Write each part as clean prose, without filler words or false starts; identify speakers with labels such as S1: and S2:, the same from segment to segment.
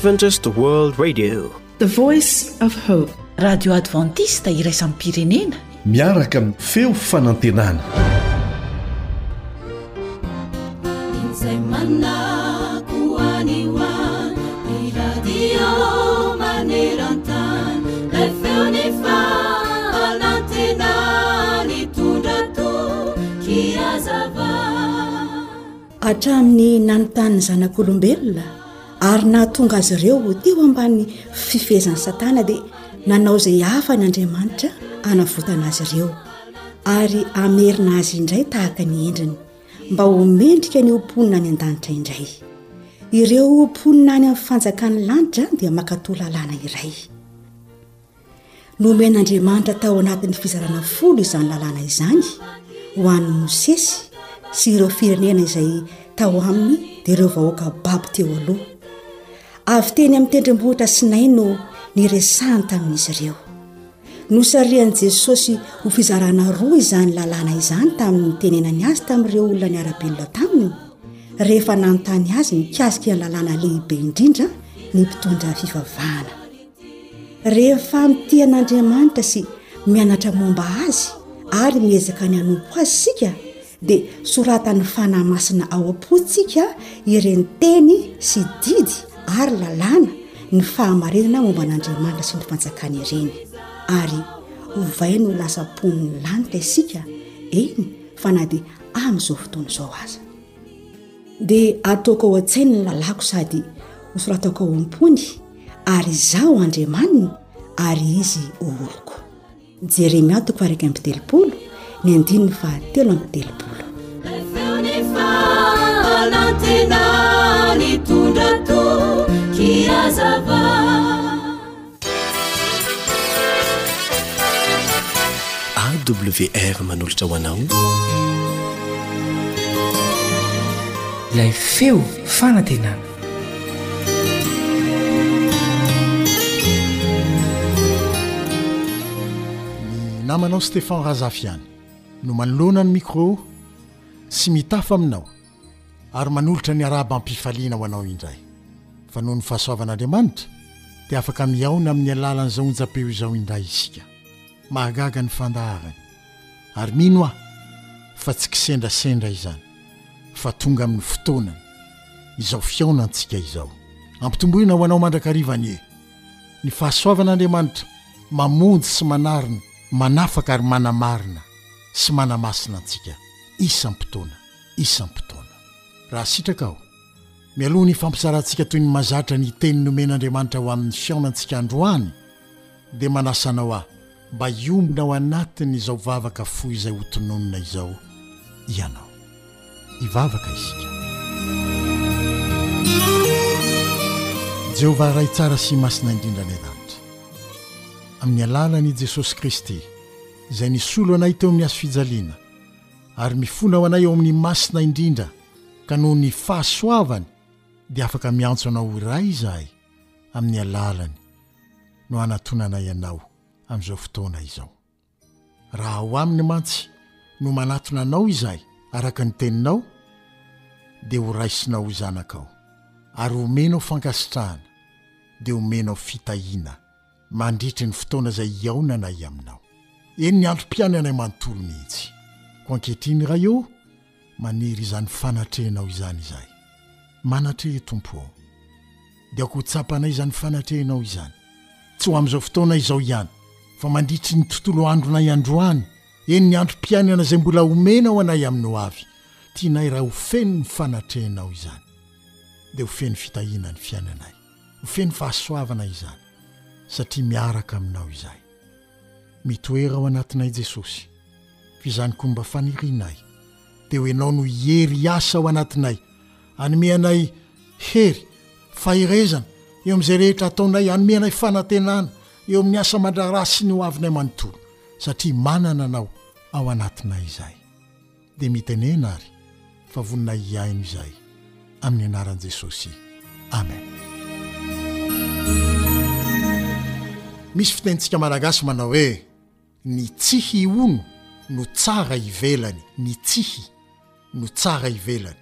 S1: Adventist World Radio.
S2: The Voice of Hope.
S3: Radio Adventiste iraisam-pirenena.
S4: Miaraka amin'ny feo fanantenana.
S5: Izay manako any ho any, ny radio maneran-tany, ilay feon'ny fanantenana nitondra toky hazava.
S6: Hatramin'ny nanotan'ny zanak'olombelona ary nahatonga azy ireo ho teo ambany fifehezan'i Satana dia nanao izay hafany Andriamanitra hanavotana azy ireo ary hamerina azy indray tahaka ny endriny mba ho mendrika ny ho mponina any an-danitra indray. Ireo mponina any amin'ny fanjakan'ny lanitra dia mankatò lalàna iray. Nomen'Andriamanitra tao anatin'ny fizarana folo izany lalàna izany ho an'i Mosesy sy ireo firenena izay tao aminy dia ireo vahoaka babo teo aloha. Avy teny amin'ny tendrombohitra Sinay no niresahany tamin'izy ireo. Nosarihan'i Jesosy ho fizarana roa izany lalàna izany tamin'ny nitenenany azy tamin'ireo olona niara-belona taminy, rehefa nanontany azy mikasika ny lalàna lehibe indrindra ny mpitondra fivavahana. Rehefa mitia an'Andriamanitra sy mianatra momba Azy ary miezaka ny hanompo Azy isika, dia soratan'ny Fanahy Masina ao am-pontsika ireny teny sy didy ary lalàna ny fahamarinana momba an'Andriamanitra sy ny fanjakany ireny, ary ovainy ho lasa mponin'ny lanitra isika, eny fa na dia amin'izao fotoana izao aza. Dia ataoko ao an-tsainy ny lalàko sady hosoratako ao am-pony, ary Izaho Andriamaniny, ary izy ho oloko. Jeremia toko faha-31, ny andininy faha-33.
S5: Feon'ny fanantenana nitondra toky hazava.
S1: AWR manolotra ho anao.
S7: Ilay feo fanantenana.
S8: Ny namanao Stephan Razafy ihany no manoloana ny micro sy mitafa aminao ary manolotra ny arahaba am-pifaliana ho anao indray fa noho ny fahasoavan'Andriamanitra dia afaka mihaona amin'ny alalan'izao onjam-peo izao indray isika. Mahagaga ny fandaharany ary mino aho fa tsy kisendrasendra izany fa tonga amin'ny fotoanany izao fihaonantsika izao. Ampitomboina ho anao mandrakariva anie ny fahasoavan'Andriamanitra mamonjy sy manarina, manafaka ary manamarina sy manamasina antsika isam-potoana isam-potoana. Raha sitraka aho, mialoha ny hifampizarantsika toy ny mazatra ny teny nomen'Andriamanitra ho amin'ny fihaonantsika androany, dia manasa anao aho mba hiombona ao anatin'izao vavaka fohy izay hotononina izao ianao. Hivavaka isika. Jehovah Ray tsara sy masina indrindra any an-danitra, amin'ny alalan'i Jesosy Kristy, izay nisolo anay teo amin'ny hazofijaliana, ary mifona ho anay ao amin'ny masina indrindra, ka noho ny fahasoavany dia afaka miantso anao ho Ray izahay amin'ny alalany no hanatonanay anao amin'izao fotoana izao. Raha ao aminy mantsy no manatona anao izahay araka ny teninao dia ho raisinao ho zanakao ary homenao fankasitrahana dia homenao fitahiana mandritry ny fotoana izay hihaonanay aminao. Eny ny androm-piainanay manontolo mihitsy. Koa ankehitriny Ray ô, maniry izany fanatrehanao izany izahay. Manatreha Tompo ô. Dia aoka ho tsapanay izany fanatrehanao izany. Tsy ho amin'izao fotoana izao ihany, fa mandritry ny tontolo andronay androany, eny ny androm-piainana izay mbola homenao anay amin'ny ho avy. Tianay raha ho feno ny fanatrehanao izany. Dia ho feno fitahiana ny fiainanay. Ho feno fahasoavana izany, satria miaraka aminao izahay. Mitoera ao anatinay Jesosy, f'izany koa mba fanirianay, dia ho Ianao no hiery hiasa ao anatinay, hanome anay hery, faherezana, eo amin'izay rehetra ataonay, hanome anay fanantenana eo amin'ny asa aman-draharaha sy ny hoavinay manontolo, satria manana Anao ao anatinay izahay. Dia mitenena ary fa vonona hihaino izahay amin'ny anaran'i Jesosy. Amen. Misy fitenintsika malagasy manao hoe ny tsihy hono no tsara ivelany, ny tsihy no tsara ivelany.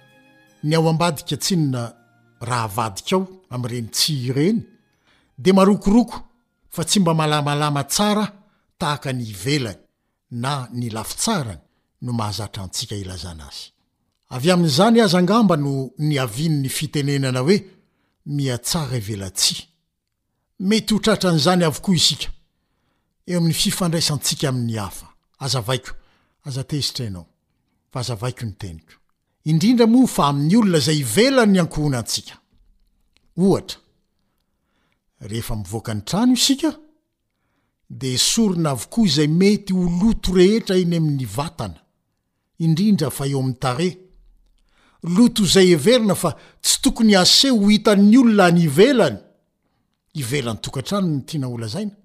S8: Ny ao ambadika tsinona. Raha avadikao amin'ireny tsihy ireny dia marokoroko fa tsy mba malamalama tsara tahaka ny ivelany na ny lafitsarany no mahazatra antsika ilazana azy. Avy amin'izany aza angamba no niavian'ny fitenenana hoe mihatsara ivelatsihy. Mety ho tratran'izany avokoa isika eo amin'ny fifandraisantsika amin'ny hafa. Azavaiko, aza tezitra ianao, fa azavaiko ny teniko. Indrindra moa fa amin'ny olona izay ivelan'ny ankohonantsika. Ohatra, rehefa mivoaka ny trano isika, dia esorina avokoa izay mety ho loto rehetra eny amin'ny vatana, indrindra fa eo amin'ny tarehy. Loto izay heverina fa tsy tokony haseho ho hitan'ny olona any ivelany, ivelan'ny tokantrano no tiana holazaina,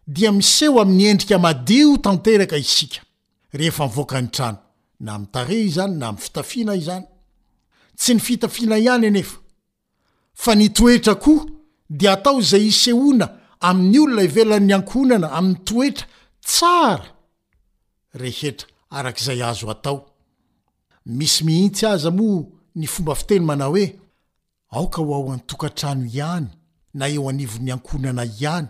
S8: dia miseho amin'ny endrika madio tanteraka isika rehefa mivoaka ny trano, na amin'ny tarehy izany na amin'ny fitafiana izany. Tsy ny fitafiana ihany anefa Fa ny toetra koa dia atao izay hisehoana amin'ny olona ivelan'ny ankohonana amin'ny toetra tsara rehetra araka izay azo atao. Misy mihitsy aza moa ny fomba fiteny manao hoe aoka ho ao an-tokantrano ihany na eo anivon'ny ankohonana ihany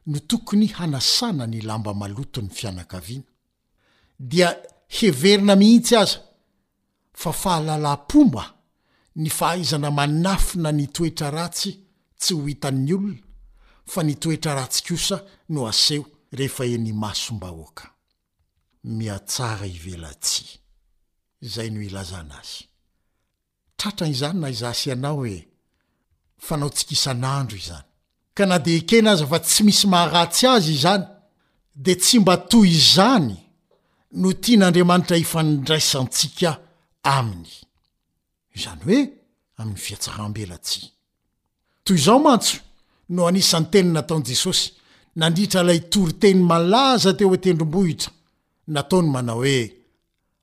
S8: no tokony hanasana ny lamba maloton'ny fianakaviana. Dia heverina mihitsy aza fa fahalalam-pomba ny fahaizana manafina ny toetra ratsy tsy ho hitan'ny olona fa ny toetra ratsy kosa no aseho rehefa eny imasom-bahoaka. Mihatsara ivelatsihy. Izay no ilazana azy. Tratra izany na izaho sy ianao e! Fanaontsika isan'andro izany. Ka na dia ekena aza fa tsy misy maharatsy azy izany, dia tsy mba toy izany no tian'Andriamanitra hifandraisantsika aminy. Izany hoe amin'ny fihatsaram-belatsihy. Toy izao mantsy no anisan'ny teny nataon'i Jesosy nandritra ilay toriteny malaza teo an-tendrombohitra nataony manao hoe,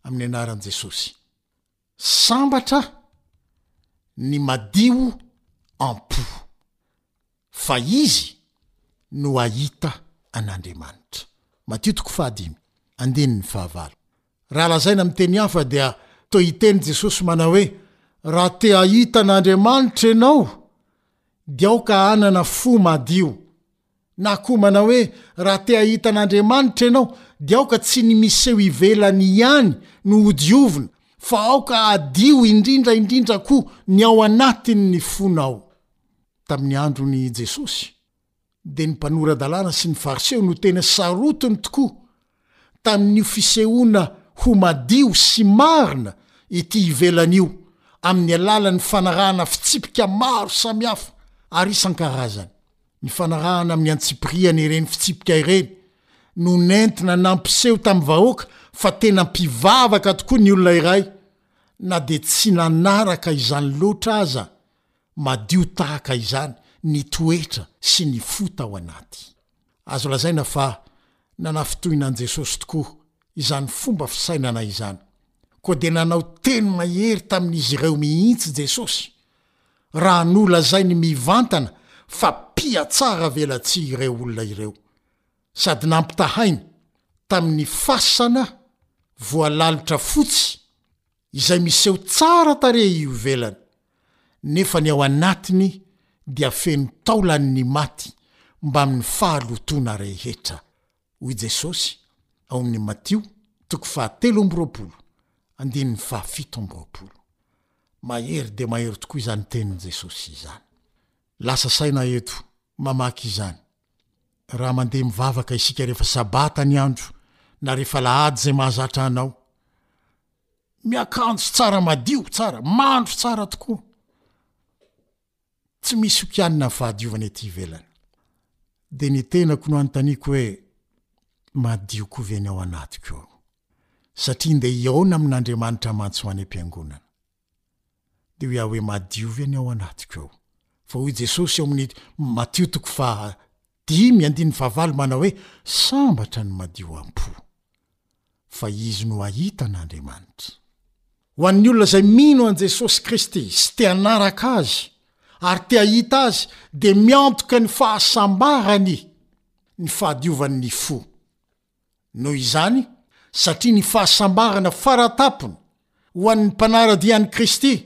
S8: Amin'ny anaran'i Jesosy. Sambatra ny madio am-po, fa izy no hahita an'Andriamanitra. Matio toko fahadimy, andininy fahavalo. Raha lazaina amin'ny teny hafa dia toa hiteny Jesosy manao hoe, Raha te hahita an'Andriamanitra ianao, dia aoka hanana fo madio. Na koa manao hoe, Raha te hahita an'Andriamanitra ianao, dia aoka tsy ny miseho ivelany ihany no hodiovina, fa aoka hadio indrindra indrindra koa ny ao anatin'ny fonao. Tamin'ny andron'i Jesosy, dia ny mpanora-dalàna sy ny Fariseo no tena sarotiny tokoa tamin'io fisehoana ho madio sy marina ety ivelany io, amin'ny alalan'ny fanarahana fitsipika maro samihafa ary isan-karazany. Ny fanarahana amin'ny antsipiriany ireny fitsipika ireny no nentina nampiseho tamin'ny vahoaka fa tena mpivavaka tokoa ny olona iray, na dia tsy nanaraka izany loatra aza madio tahaka izany ny toetra sy ny fo tao anaty. Azo lazaina fa nanafintohina an'i Jesosy tokoa izany fomba fisainana izany. Koa dia nanao teny mahery tamin'izy ireo mihitsy Jesosy, raha nolazainy mivantana fa mpihatsara velatsihy ireo olona ireo, sady nampitahainy tamin'ny fasana voalalotra fotsy izay miseho tsara tarehy io ivelany, nefa ny ao anatiny dia feno taolan'ny maty mbamin'ny fahalotoana rehetra, hoy Jesosy ao amin'ny Matio toko fahatelo amby 20, andininy faha-27. Mahery dia mahery tokoa izany tenin'i Jesosy izany. Lasa saina eto mamaky izany. Raha mandeha mivavaka isika rehefa sabata ny andro na rehefa alahady izay mahazatra anao, miakanjo tsara madio tsara, mandro tsara tokoa. Tsy misy hokianina ny fahadiovana ety ivelany. Dia ny tenako no anontaniako hoe madio koa ve ny ao anatiko ao? Satria ndeha hihaona amin'Andriamanitra mantsy ho any am-piangonana. Dia hoy aho hoe madio ve ny ao anatiko ao? Fa hoy Jesosy ao amin'ny Matio toko faha dimy andininy fahavalo manao hoe sambatra ny madio am-po fa izy no hahita an'Andriamanitra. Ho an'ny olona izay mino an'i Jesosy Kristy sy te hanaraka Azy ary te hahita Azy dia miantoka ny fahasambarany ny fahadiovan'ny fo. Noho izany, satria ny fahasambarana faratapony ho an'ny mpanara-dia an'i Kristy.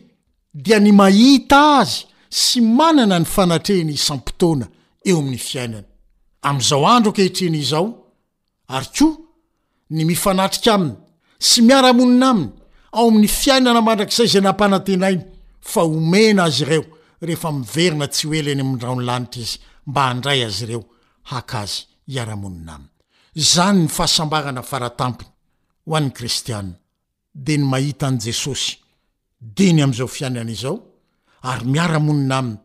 S8: dia ny mahita Azy sy manana ny fanatrehiny isam-potoana eo amin'ny fiainany, amin'izao andro ankehitriny izao, ary koa ny mifanatrika Aminy sy miara-monina Aminy ao amin'ny fiainana mandrakizay izay nampanantenainy fa homena azy ireo rehefa miverina tsy ho ela eny amin'ny rahon'ny lanitra Izy mba handray azy ireo haka Azy hiara-monina Aminy. Izany ny fahasambarana faratampony ho an'ny kristiana dia ny mahita an'i Jesosy dieny amin'izao fiainana izao ary miara-monina Aminy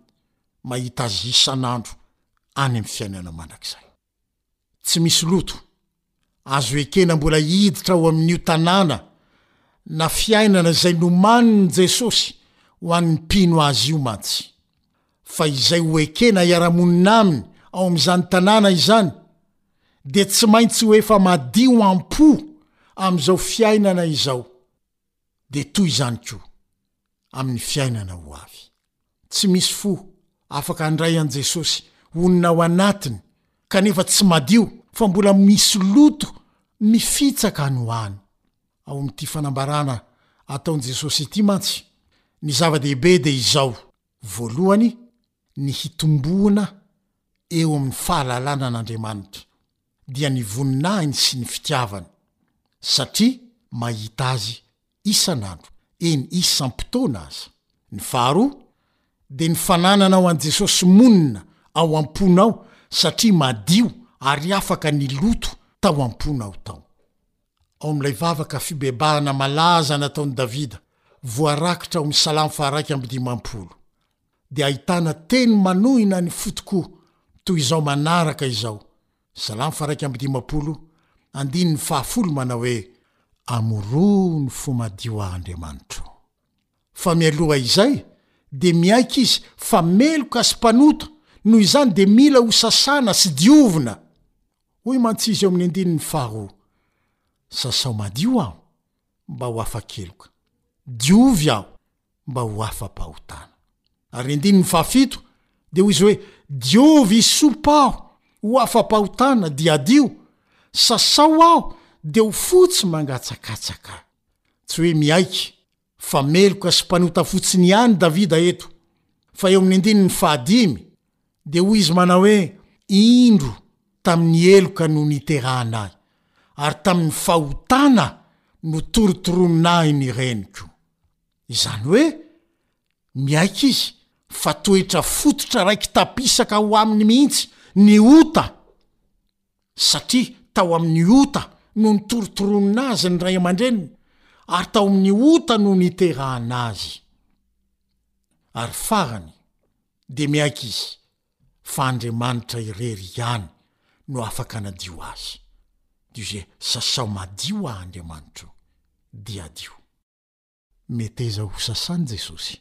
S8: mahita Azy isan'andro any amin'ny fiainana mandrakizay. Tsy misy loto azo ekena mbola hiditra ao amin'io tanàna na fiainana izay nomanin'i Jesosy ho an'ny mpino Azy io mantsy. Fa izay ho ekena hiara-monina Aminy ao amin'izany tanàna izany dia tsy maintsy ho efa madio am-po amin'izao fiainana izao, dia toy izany koa amin'ny fiainana ho avy. Tsy misy fo afaka handray an'i Jesosy honina ao anatiny kanefa tsy madio fa mbola misy loto mifitsaka any ho any. Ao amin'ity fanambarana ataon'i Jesosy ity mantsy, ny zava-dehibe dia izao, voalohany, ny hitomboana eo amin'ny fahalalana an'Andriamanitra, dia ny voninahiny sy ny fitiavany, satria mahita Azy isan'andro, eny isam-potoana aza. Ny faharoa, dia ny fanananao an'i Jesosy monina ao am-ponao satria madio ary afaka ny loto tao am-ponao tao. Ao amin'ilay vavaka fibebahana malaza nataon'i Davida, voarakitra ao amin'ny Salamo faha-51, dia ahitana teny manohina ny fo tokoa toy izao manaraka izao, Salamo faha-51, andininy fahafolo manao hoe, Amoroho ny fo madio aho Andriamanitro. Fa mialoha izay dia miaiky izy fa meloka sy mpanota, noho izany dia mila ho sasana sy diovina. Hoy mantsy izy eo amin'ny andininy faharoa, Sasao madio aho mba ho afa-keloka, diovy aho mba ho afa-pahotana. Ary ny andininy fahafito dia hoy izy hoe, Diovy hisopa aho ho afa-pahotana, dia hadio, sasao aho dia ho fotsy mangatsakatsaka. Tsy hoe miaiky fa meloka sy mpanota fotsiny ihany Davida eto, fa eo amin'ny andininy fahadimy dia hoy izy manao hoe, Indro tamin'ny heloka no niterahana ahy, ary tamin'ny fahotana no torotoronina ahy ny reniko. Izany hoe miaiky izy fa toetra fototra raiki-tapisaka ao aminy mihitsy ny ota, satria tao amin'ny ota no nitorotoronina azy ny ray aman-dreniny ary tao amin'ny ota no niterahana azy. Ary farany dia miaiky izy fa Andriamanitra irery ihany no afaka hanadio azy. Dia izay sasao madio aho Andriamanitro dia hadio. Meteza ho sasany Jesosy.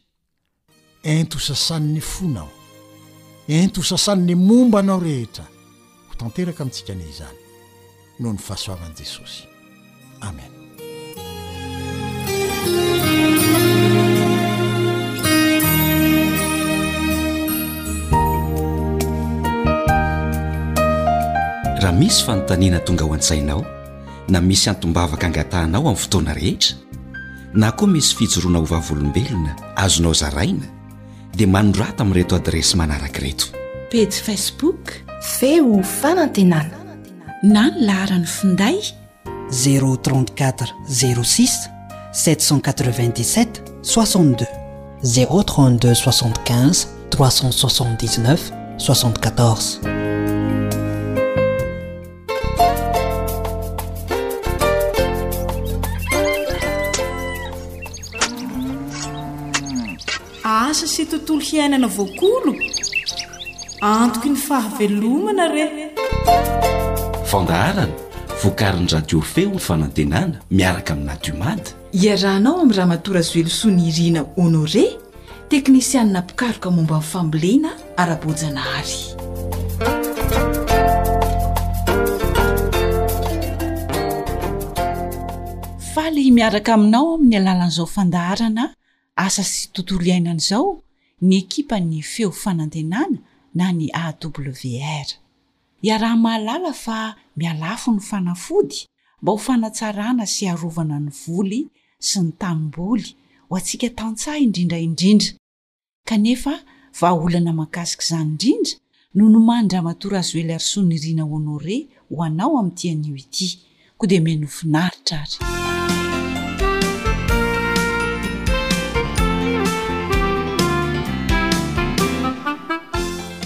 S8: Ento ho sasany ny fonao. Ento ho sasany ny momba anao rehetra. Ho tanteraka amintsika anie izany noho ny fahasoavan'i Jesosy. Amen.
S9: Raha misy fanontaniana tonga ao an-tsainao na misy antom-bavaka angatahanao amin'ny fotoana rehetra, na koa misy fijoroana ho vavolombelona azonao zaraina, dia manorata amin'ireto adiresy manaraka ireto.
S3: Pejy Facebook.
S2: Feo fanantenana.
S3: Na ny laharan'ny finday.
S6: 034 06 797 62.
S7: 032 75 379 74.
S2: Asa sy tontolo hiainana voakolo? Antoky ny fahavelomana re!
S9: Fandaharana vokarin'ny Radio Feo Fanantenana miaraka amin'ny Nadiomad.
S3: Iarahanao amin'i Ramatoa Razoelosoa Nirina Honoré, teknisianina mpikaroka momba ny fambolena ara-boajanahary. Faly miaraka aminao amin'ny alalan'izao fandaharana Asa sy tontolo iainana izao ny ekipan'ny Feo Fanantenana na ny AWR. Iaraha-mahalala fa mihalafo ny fanafody mba ho fanatsarana sy hiarovana ny voly sy ny tanimboly ho antsika tantsaha indrindra indrindra. Kanefa vahaolana mahakasika izany indrindra no nomanin-dRamatoa Razoeliarisoa Nirina Honoré ho anao amin'ity anio ity. Koa dia mino finaritra ary.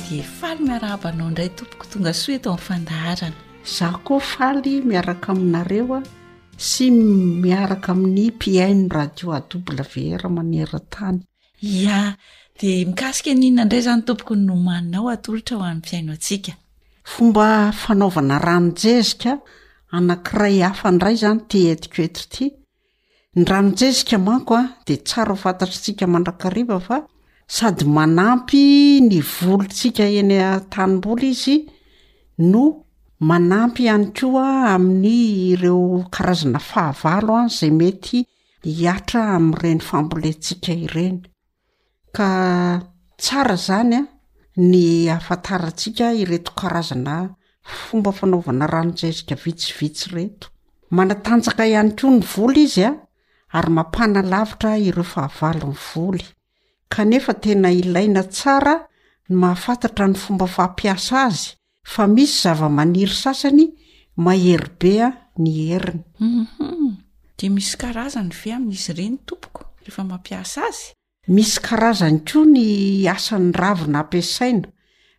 S3: Dia faly miarahaba anao indray tompoko tonga soa eto amin'ny fandaharana.
S10: Izaho koa faly miaraka aminareo sy miaraka amin'ny mpihaino radio AWR maneran-tany.
S3: Ia, dia mikasika ny inona indray izany tompoko no nomaninao atolotra ho an'ny mpihaino antsika?
S10: Fomba fanaovana ranon-jezika anankiray hafa indray izany ity entiko eto ity. Ny ranon-jezika manko a, dia tsara ho fantatr'tsika mandrakariva fa sady manampy ny volontsika eny an-tanimboly izy no manampy ihany koa amin'ny ireo karazana fahavalo a izay mety hihatra amin'ireny fambolentsika ireny. Ka tsara izany a, ny ahafantarantsika ireto karazana fomba fanaovana ranon-jezika vitsivitsy ireto. Manatanjaka ihany koa ny voly izy a, ary mampanalavitra ireo fahavalon'ny voly. Kanefa tena ilaina tsara ny mahafantatra ny fomba fampiasa azy Fa misy zavamaniry sasany mahery be ny heriny.
S3: Hum. Dia misy karazany ve amin'izy ireny tompoko rehefa mampiasa azy?
S10: Misy karazany koa ny asan'ny ravina ampiasaina.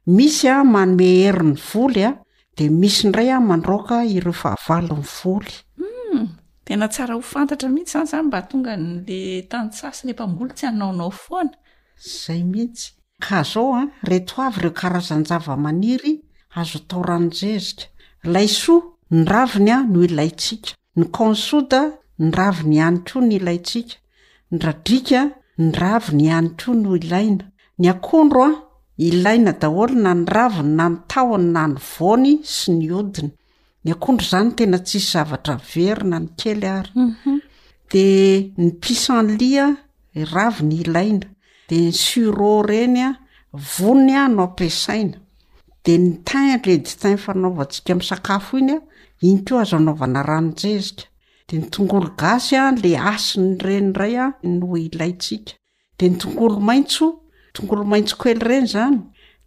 S10: Misy manome hery ny voly dia misy indray mandroaka ireo fahavalon'ny voly.
S3: Hum. Tena tsara ho fantatra mihitsy izany izany mba hahatonga an'le tantsaha sy le mpamboly tsy hanaonao foana.
S10: Zay mihitsy. Ka zao an, reto avy ireo karazan-javamaniry azo atao ranon-jezika, laisoa, ny raviny an no ilaintsika, ny kaonsoda, ny raviny ihany koa no ilaintsika, ny radriaka, ny raviny ihany koa no ilaina, ny akondro an, ilaina daholo na ny raviny na ny tahony na ny voany sy ny hodiny. Ny akondro zany tena tsisy zavatra very na ny kely ary. Mhm. De ny pissenlit a, raviny ilaina, de ny sureau reny a, voniny a no ampiasaina. De ny thym, le thym fanaovantsika amin'ny sakafo iny a, iny koa azo anaovana ranon-jezika. De ny tongolo gasy a, le hasiny ireny indray a no ilaintsika. De ny tongolo maitso, tongolo maitso kely ireny zany,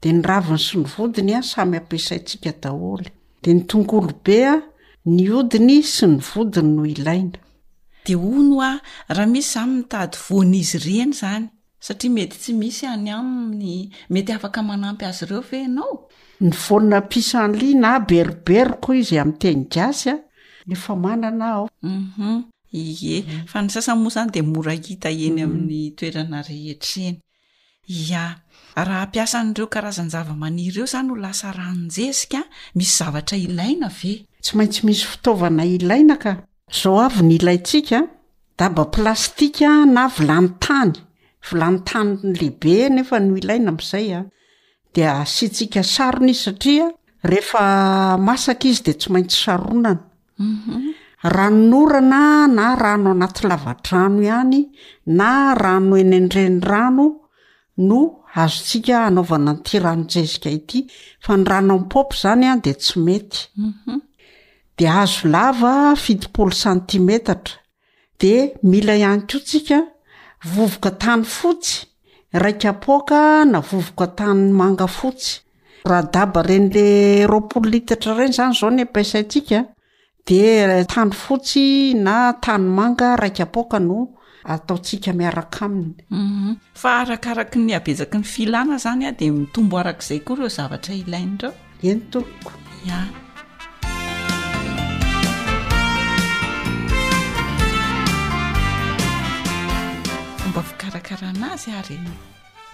S10: de ny raviny sy ny vodiny a samy ampiasaintsika daholo. De ny tongolo be a, ny hodiny sy ny vodiny no ilaina.
S3: De hono hoa, raha misy zany mitady voan'izy ireny zany, satria mety tsy misy any aminy, mety afaka manampy azy ireo ve ianao?
S10: Ny voana pissenlit na beroberoka hoy izy amin'ny teny gasy a, efa manana aho.
S3: Hum Ie, fa ny sasany moa izany dia mora hita eny amin'ny toerana rehetra eny. Ia, raha hampiasa an'ireo karazan-javamaniry ireo izany ho lasa ranon-jezika, misy zavatra ilaina ve?
S10: Tsy maintsy misy fitaovana ilaina ka. Izao avy ny ilaintsika, daba plastika na vilany tany, vilany tany lehibe nefa no ilaina amin'izay an, dia asiantsika sarony izy satria rehefa masaka izy dia tsy maintsy saronana. Ranonorana na rano anaty lavadrano ihany na rano eny an-drenirano no azontsika anaovana an'ity ranon-jezika ity fa ny rano amin'ny paompy izany an dia tsy mety. Dia hazo lava 70 santimetatra. Dia mila ihany koa tsika vovoka tany fotsy iray kapoaka na vovoka tany manga fotsy. Raha daba ireny le 20 litatra ireny izany izao ny ampiasaintsika dia tany fotsy na tany manga iray kapoaka no ataontsika miaraka aminy.
S3: Mhm. Fa arakaraky ny habetsaky ny filana izany a dia mitombo arak'izay koa ireo zavatra ilaina ireo.
S10: Eny tompoko.
S3: Ya. Fomba fikarakarana azy ary.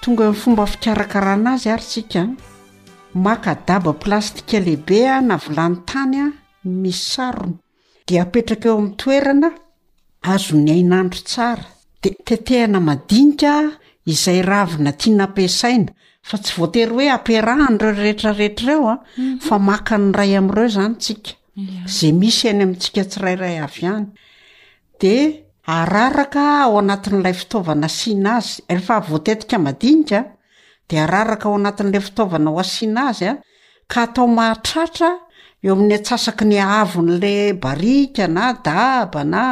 S10: Tonga amin'ny fomba fikarakarana azy ary tsika. Maka daba plastika lehibe na vilany tany misy sarony. Dia apetraka eo amin'ny toerana azon'ny hainandro tsara. Dia tetehana madinika izay ravina tiana ampiasaina, fa tsy voatery hoe ampiarahana ireo rehetra rehetra ireo an, fa maka ny iray amin'ireo izany tsika, izay misy any amintsika tsirairay avy any. Dia araraka ao anatin'ilay fitaovana asiana azy, rehefa voatetika madinika dia araraka ao anatin'ilay fitaovana ho asiana azy an, ka atao mahatratra eo amin'ny antsasaky ny haavon'le barika na daba na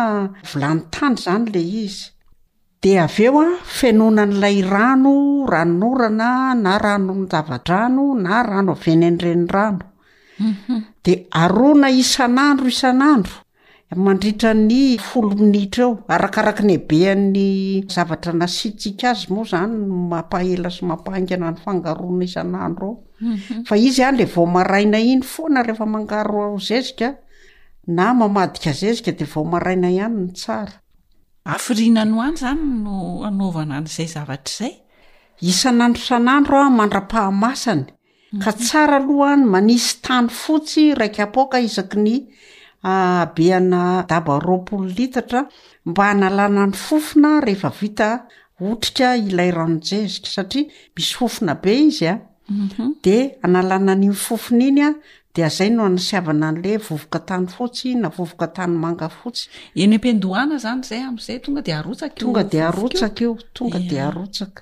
S10: vilany tany izany le izy. Dia avy eo an, fenoina an'ilay rano, ranonorana na ranon-java-drano na rano avy eny an-drenirano. Dia arona isan'andro isan'andro mandritra ny folo minitra eo, arakaraky ny habean'ny zavatra nasiantsika azy moa zany no mampaela sy mampahaingana ny fangaroana isan'andro ao. Fa izy an le vao maraina iny foana rehefa mangaro zezika na mamadika zezika de vao maraina ihany no tsara.
S3: Hafiriana any ho any izany no anaovana an'izay zavatra izay?
S10: Isan'andro isan'andro aho mandra-pahamasany, ka tsara aloha ny manisy tany fotsy iray kapoaka isaky ny habeana daba 20 litatra mba hanalana ny fofona rehefa vita otrika ilay ranon-jezika satria misy fofona be izy a. De analana an'iny fofona iny a, de azay no anasiavana an'le vovoka tany fotsy na vovoka tany manga fotsy.
S3: Eny am-piandohana zany zay am'zay tonga de arotsaka io
S10: Tonga de
S3: vovoka io?
S10: arotsaka io, tonga de
S3: Ia.
S10: arotsaka.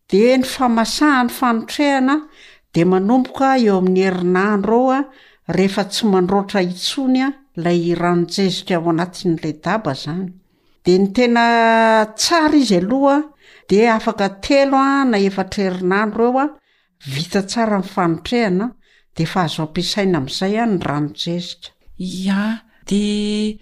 S10: De ny famasahan'ny fanotrehana de manomboka eo amin'ny herinandro eo a, rehefa tsy mandroatra intsony a lay ranon-jezika ao anatin'ilay daba zany. De ny tena tsara izy aloha de afaka telo a na efatra herinandro eo a, vita tsara ny fanotrehana de efa azo ampiasaina am'zay a ny ranon-jezika.
S3: Ia, de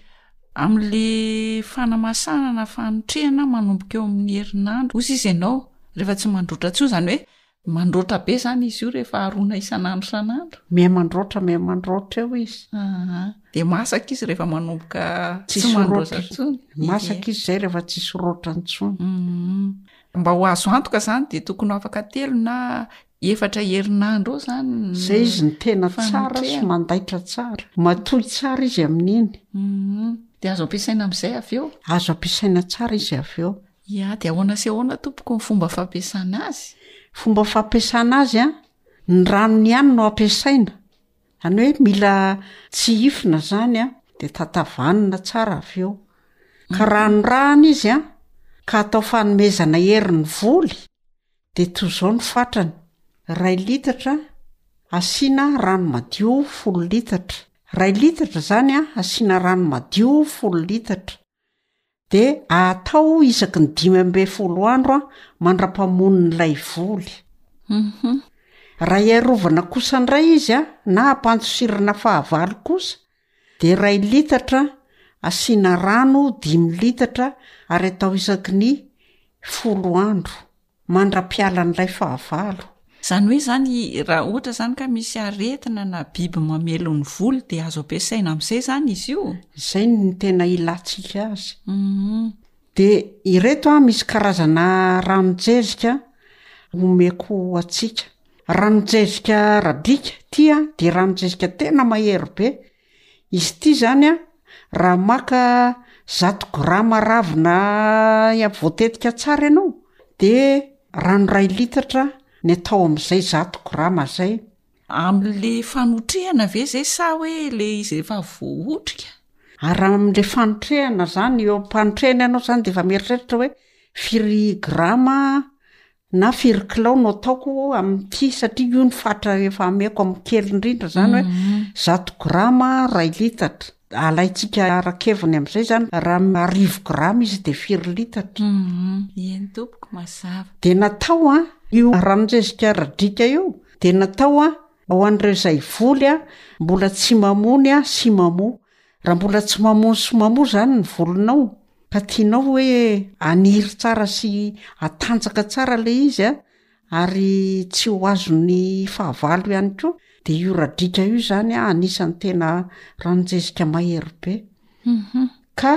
S3: am'le fanamasahana na fanotrehana manomboka eo amin'ny herinandro hozy izy ianao rehefa tsy mandroatra intsony, zany hoe Mandroatra be zany izy io rehefa arona isan'andro isan'andro.
S10: Miha mandroatra miha mandroatra eo izy.
S3: Aa de masaka izy rehefa manomboka
S10: Tsisy
S3: tsy mandroatra
S10: roatra.
S3: intsony.
S10: Masaka izy zay rehefa tsisy roatra intsony.
S3: Mhm. Mba ho azo antoka zany de tokony ho afaka telo na efatra herinandro eo zany ny
S10: Zay izy no tena tsara sy
S3: fanotrehana.
S10: mandaitra tsara. Matoy tsara izy amin'iny.
S3: Mhm. De azo ampiasaina am'izay avy eo?
S10: Azo ampiasaina tsara izy avy eo.
S3: Ya, dia ahoana sy ahoana tompoko ny fomba fampiasana azy?
S10: Fomba fampiasana azy an, ny ranony ihany no ampiasaina, zany hoe mila tsihifina zany an, de tatavanina tsara avy eo. Ka ranorahana izy an, ka atao fanomezana hery ny voly, de toy izao ny fatrany, iray litatra asiana rano madio folo litatra, iray litatra zany an asiana rano madio folo litatra. Dia atao isaky ny 15 andro mandra-pamonin'ilay voly. Raha hiarovana kosa indray izy na hampandosirana fahavalo kosa dia iray litatra asiana rano dimy litatra ary atao isaky ny folo andro. mandra-pialan'ilay fahavalo.
S3: Izany hoe izany raha ohatra izany ka misy aretina na biby mamely ny voly dia azo ampiasaina amin'izay izany izy io?
S10: Izay no tena ilantsika azy. Dia ireto an, misy karazana ranon-jezika omeko antsika. Ranon-jezika radika ity an, dia ranon-jezika tena mahery be. Izy ity izany an, raha maka zato grama ravina voatetika tsara ianao, de rano iray litatra ny atao amin'izay zato grama zay.
S3: Amin'le fanotrehana ve zay sa hoe le izy efa voaotrika?
S10: Ary raha amin'le fanotrehana zany, eo am-panotrehana ianao zany de efa mieritreritra hoe firy grama na firy kilao no ataoko amin'ity satria io ny fatra efa ameko amin'ny kely indrindra zany hoe mhm. zato grama ray litatra alaintsika ara-keviny amin'izay zany raha arivo grama izy de firy litatra
S3: mhm. eny tompoko mazava
S10: de natao a io ranon-jezika radrika io de natao a ho an'ireo izay voly a mbola tsy mamony a sy mamoa Raha mbola tsy mamono sy mamoa izany ny volonao ka tianao hoe haniry tsara sy hatanjaka tsara ilay izy a, ary tsy ho azon'ny fahavalo ihany koa, de io radriaka io izany a anisan'ny tena ranon-jezika mahery be. Ka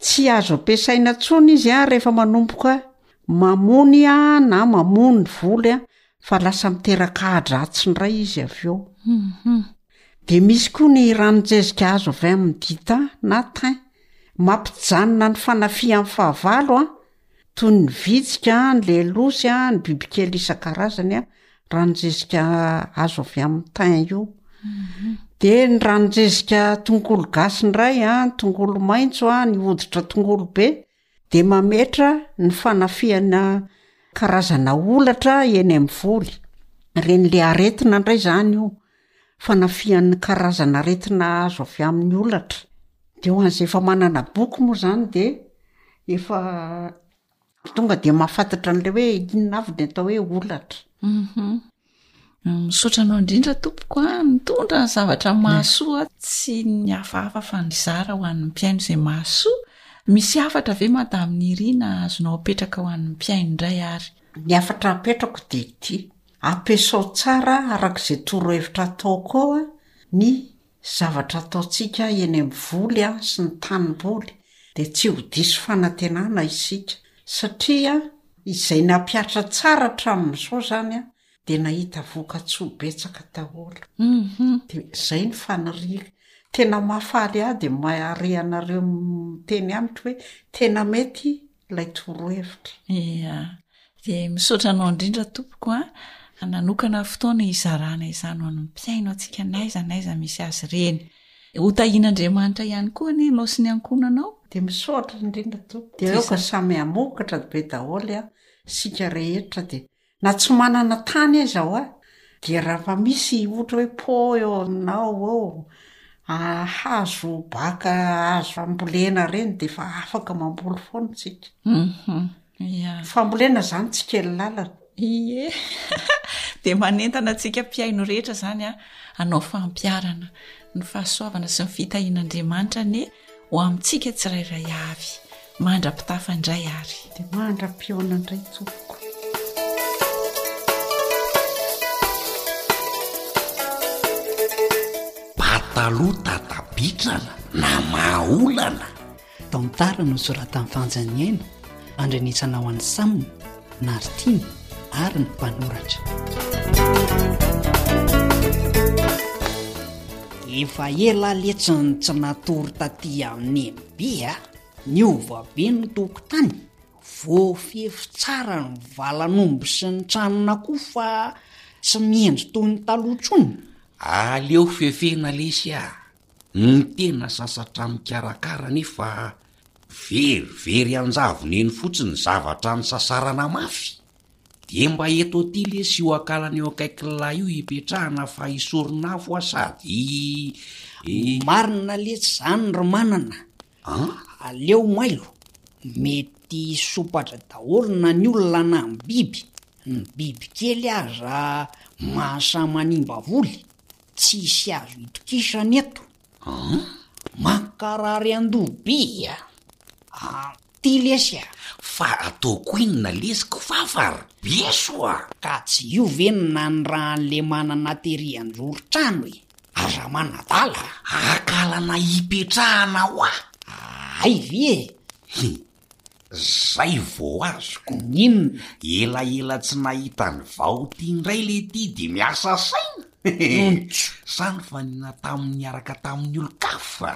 S10: tsy azo ampiasaina intsony izy a rehefa manomboka mamony a na mamoa ny voly a fa lasa miteraka ahi-dratsy indray izy avy eo. De misy koa ny ranon-jezika azo avy amin'ny dita na thym. Mampijanona ny fanafihan'ny fahavalo an, toy ny vitsika, ny lelosy, ny bibikely isan-karazany an, ranon-jezika azo avy amin'ny thym io. De ny ranon-jezika tongolo gasy indray an, tongolo maitso an, ny hoditra tongolo be, dia mametra ny fanafihana karazana holatra eny amin'ny voly. Ireny le aretina indray izany io, fanafihan'ny karazana aretina azo avy amin'ny holatra. Dia ho an'izay efa manana boky moa izany dia efa. Tonga dia mahafantatra an'ilay hoe inona avy ny atao hoe holatra.
S3: Hum. Misaotra anao indrindra tompoko a, nitondra ny zavatra mahasoa, tsy ny hafahafa fa nizara ho an'ny mpihaino izay mahasoa. Misy hafatra ve Madame Nirina azonao apetraka ho an'ny mpihaino indray ary?
S10: Ny hafatra apetrako dia ity, ampiasao tsara araka izay torohevitra ataoko ao ny zavatra ataontsika eny amin'ny voly sy ny tanimboly dia tsy ho diso fanantenana isika satria izay nampihatra tsara hatramin'izao izany dia nahita vokatsoa betsaka daholo. Dia izay ny faniriako. Tena mahafaly ahy dia mahare anareo miteny amiko hoe tena mety ilay torohevitra.
S3: Ia. Dia misaotra anao indrindra tompoko a, nanokana fotoana hizarana izany ho an'ny mpihaino antsika n'aiza n'aiza misy azy ireny. Ho tahian'Andriamanitra ihany koa anie ianao sy ny ankohonanao.
S10: Dia misaotra indrindra tompoko. Dia aoka samy hamokatra be daholo a, isika rehetra dia na tsy manana tany aiza hoa dia raha mba misy ohatra hoe pot eo aminao eo, hazo baka azo ambolena ireny dia efa afaka mamboly foana isika.
S3: Ia.
S10: Fambolena zany tsy kely lalana.
S3: Ie. Dia manentana antsika mpihaino rehetra zany a, hanao fampiharana ny fahasoavana sy ny fitahian'Andriamanitra anie ho amintsika tsirairay avy. Mandra-pitafa indray ary.
S10: Dia mandra-pihaona indray tompoko.
S9: Pataloha tatabitrana na maha-olana.
S7: Tantara nosoratan'i Fanja Niaina, andrenesana ho an'i Sam, Naritiana ary ny mpanoratra. Efa ela letsy ny tsy natory taty amin'ny MB a! Niova be ny tokotany, voafefy tsara ny valan'omby sy ny tranon'akoho fa tsy mihendry toy ny taloha intsony.
S9: Aleo fefena lesy a! Ny tena sasatra mikarakara anefa verivery anjavony eny fotsiny zavatra nisasarana mafy. Dia mba eto aty lesy io akalana eo akaikin'lah io ipetrahana fa hisoron'afo aho sady i.
S7: Marina letsy zany ry manana a! Aleo mailo, mety hisompatra daholo na ny olona na ny biby, ny bibikely aza mahasahy manimba voly. Tsisy azo itokisana eto.
S9: An?
S7: Mankarary andoha be a! Ty lesy a!
S9: Fa ataoko inona lesy kifafa ry beso a!
S7: Ka tsy io ve no nanirahan'le manana tery anjoron-trano e! Aza manadala
S9: a! Akalana hipetrahana hoa!
S7: Hay ve e!
S9: Hi! Zay vao azoko.
S7: Inona?
S9: Elaela tsy nahita ny vao ty indray le ty de miasa saina. Sa nifanena tamin'ny niaraka tamin'ny olon-kafa?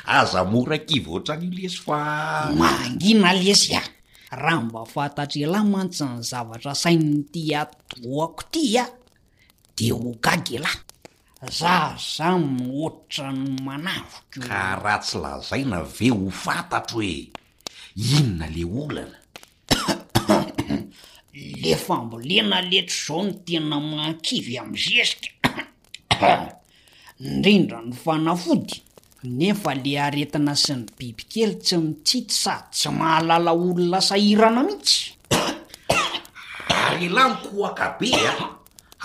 S9: Aza mora kivy ohatran'io lesy fa.
S7: Mangina lesy a! Raha mba fantatr'elah mantsy ny zavatra sainin'ity atidohako ty a, de ho gaga elah. Za zany ohatran'ny manaviko.
S9: Ka raha tsy lazaina ve ho fantatro e! Inona le olana?
S7: Le fambolena letsy zao no tena mahakivy am zezika ndrindra ny fanafody nefa le aretina sy ny bibikely tsy mitsitsy sady tsy mahalala olona sahirana mihitsy.
S9: Ary elah mikohaka be a!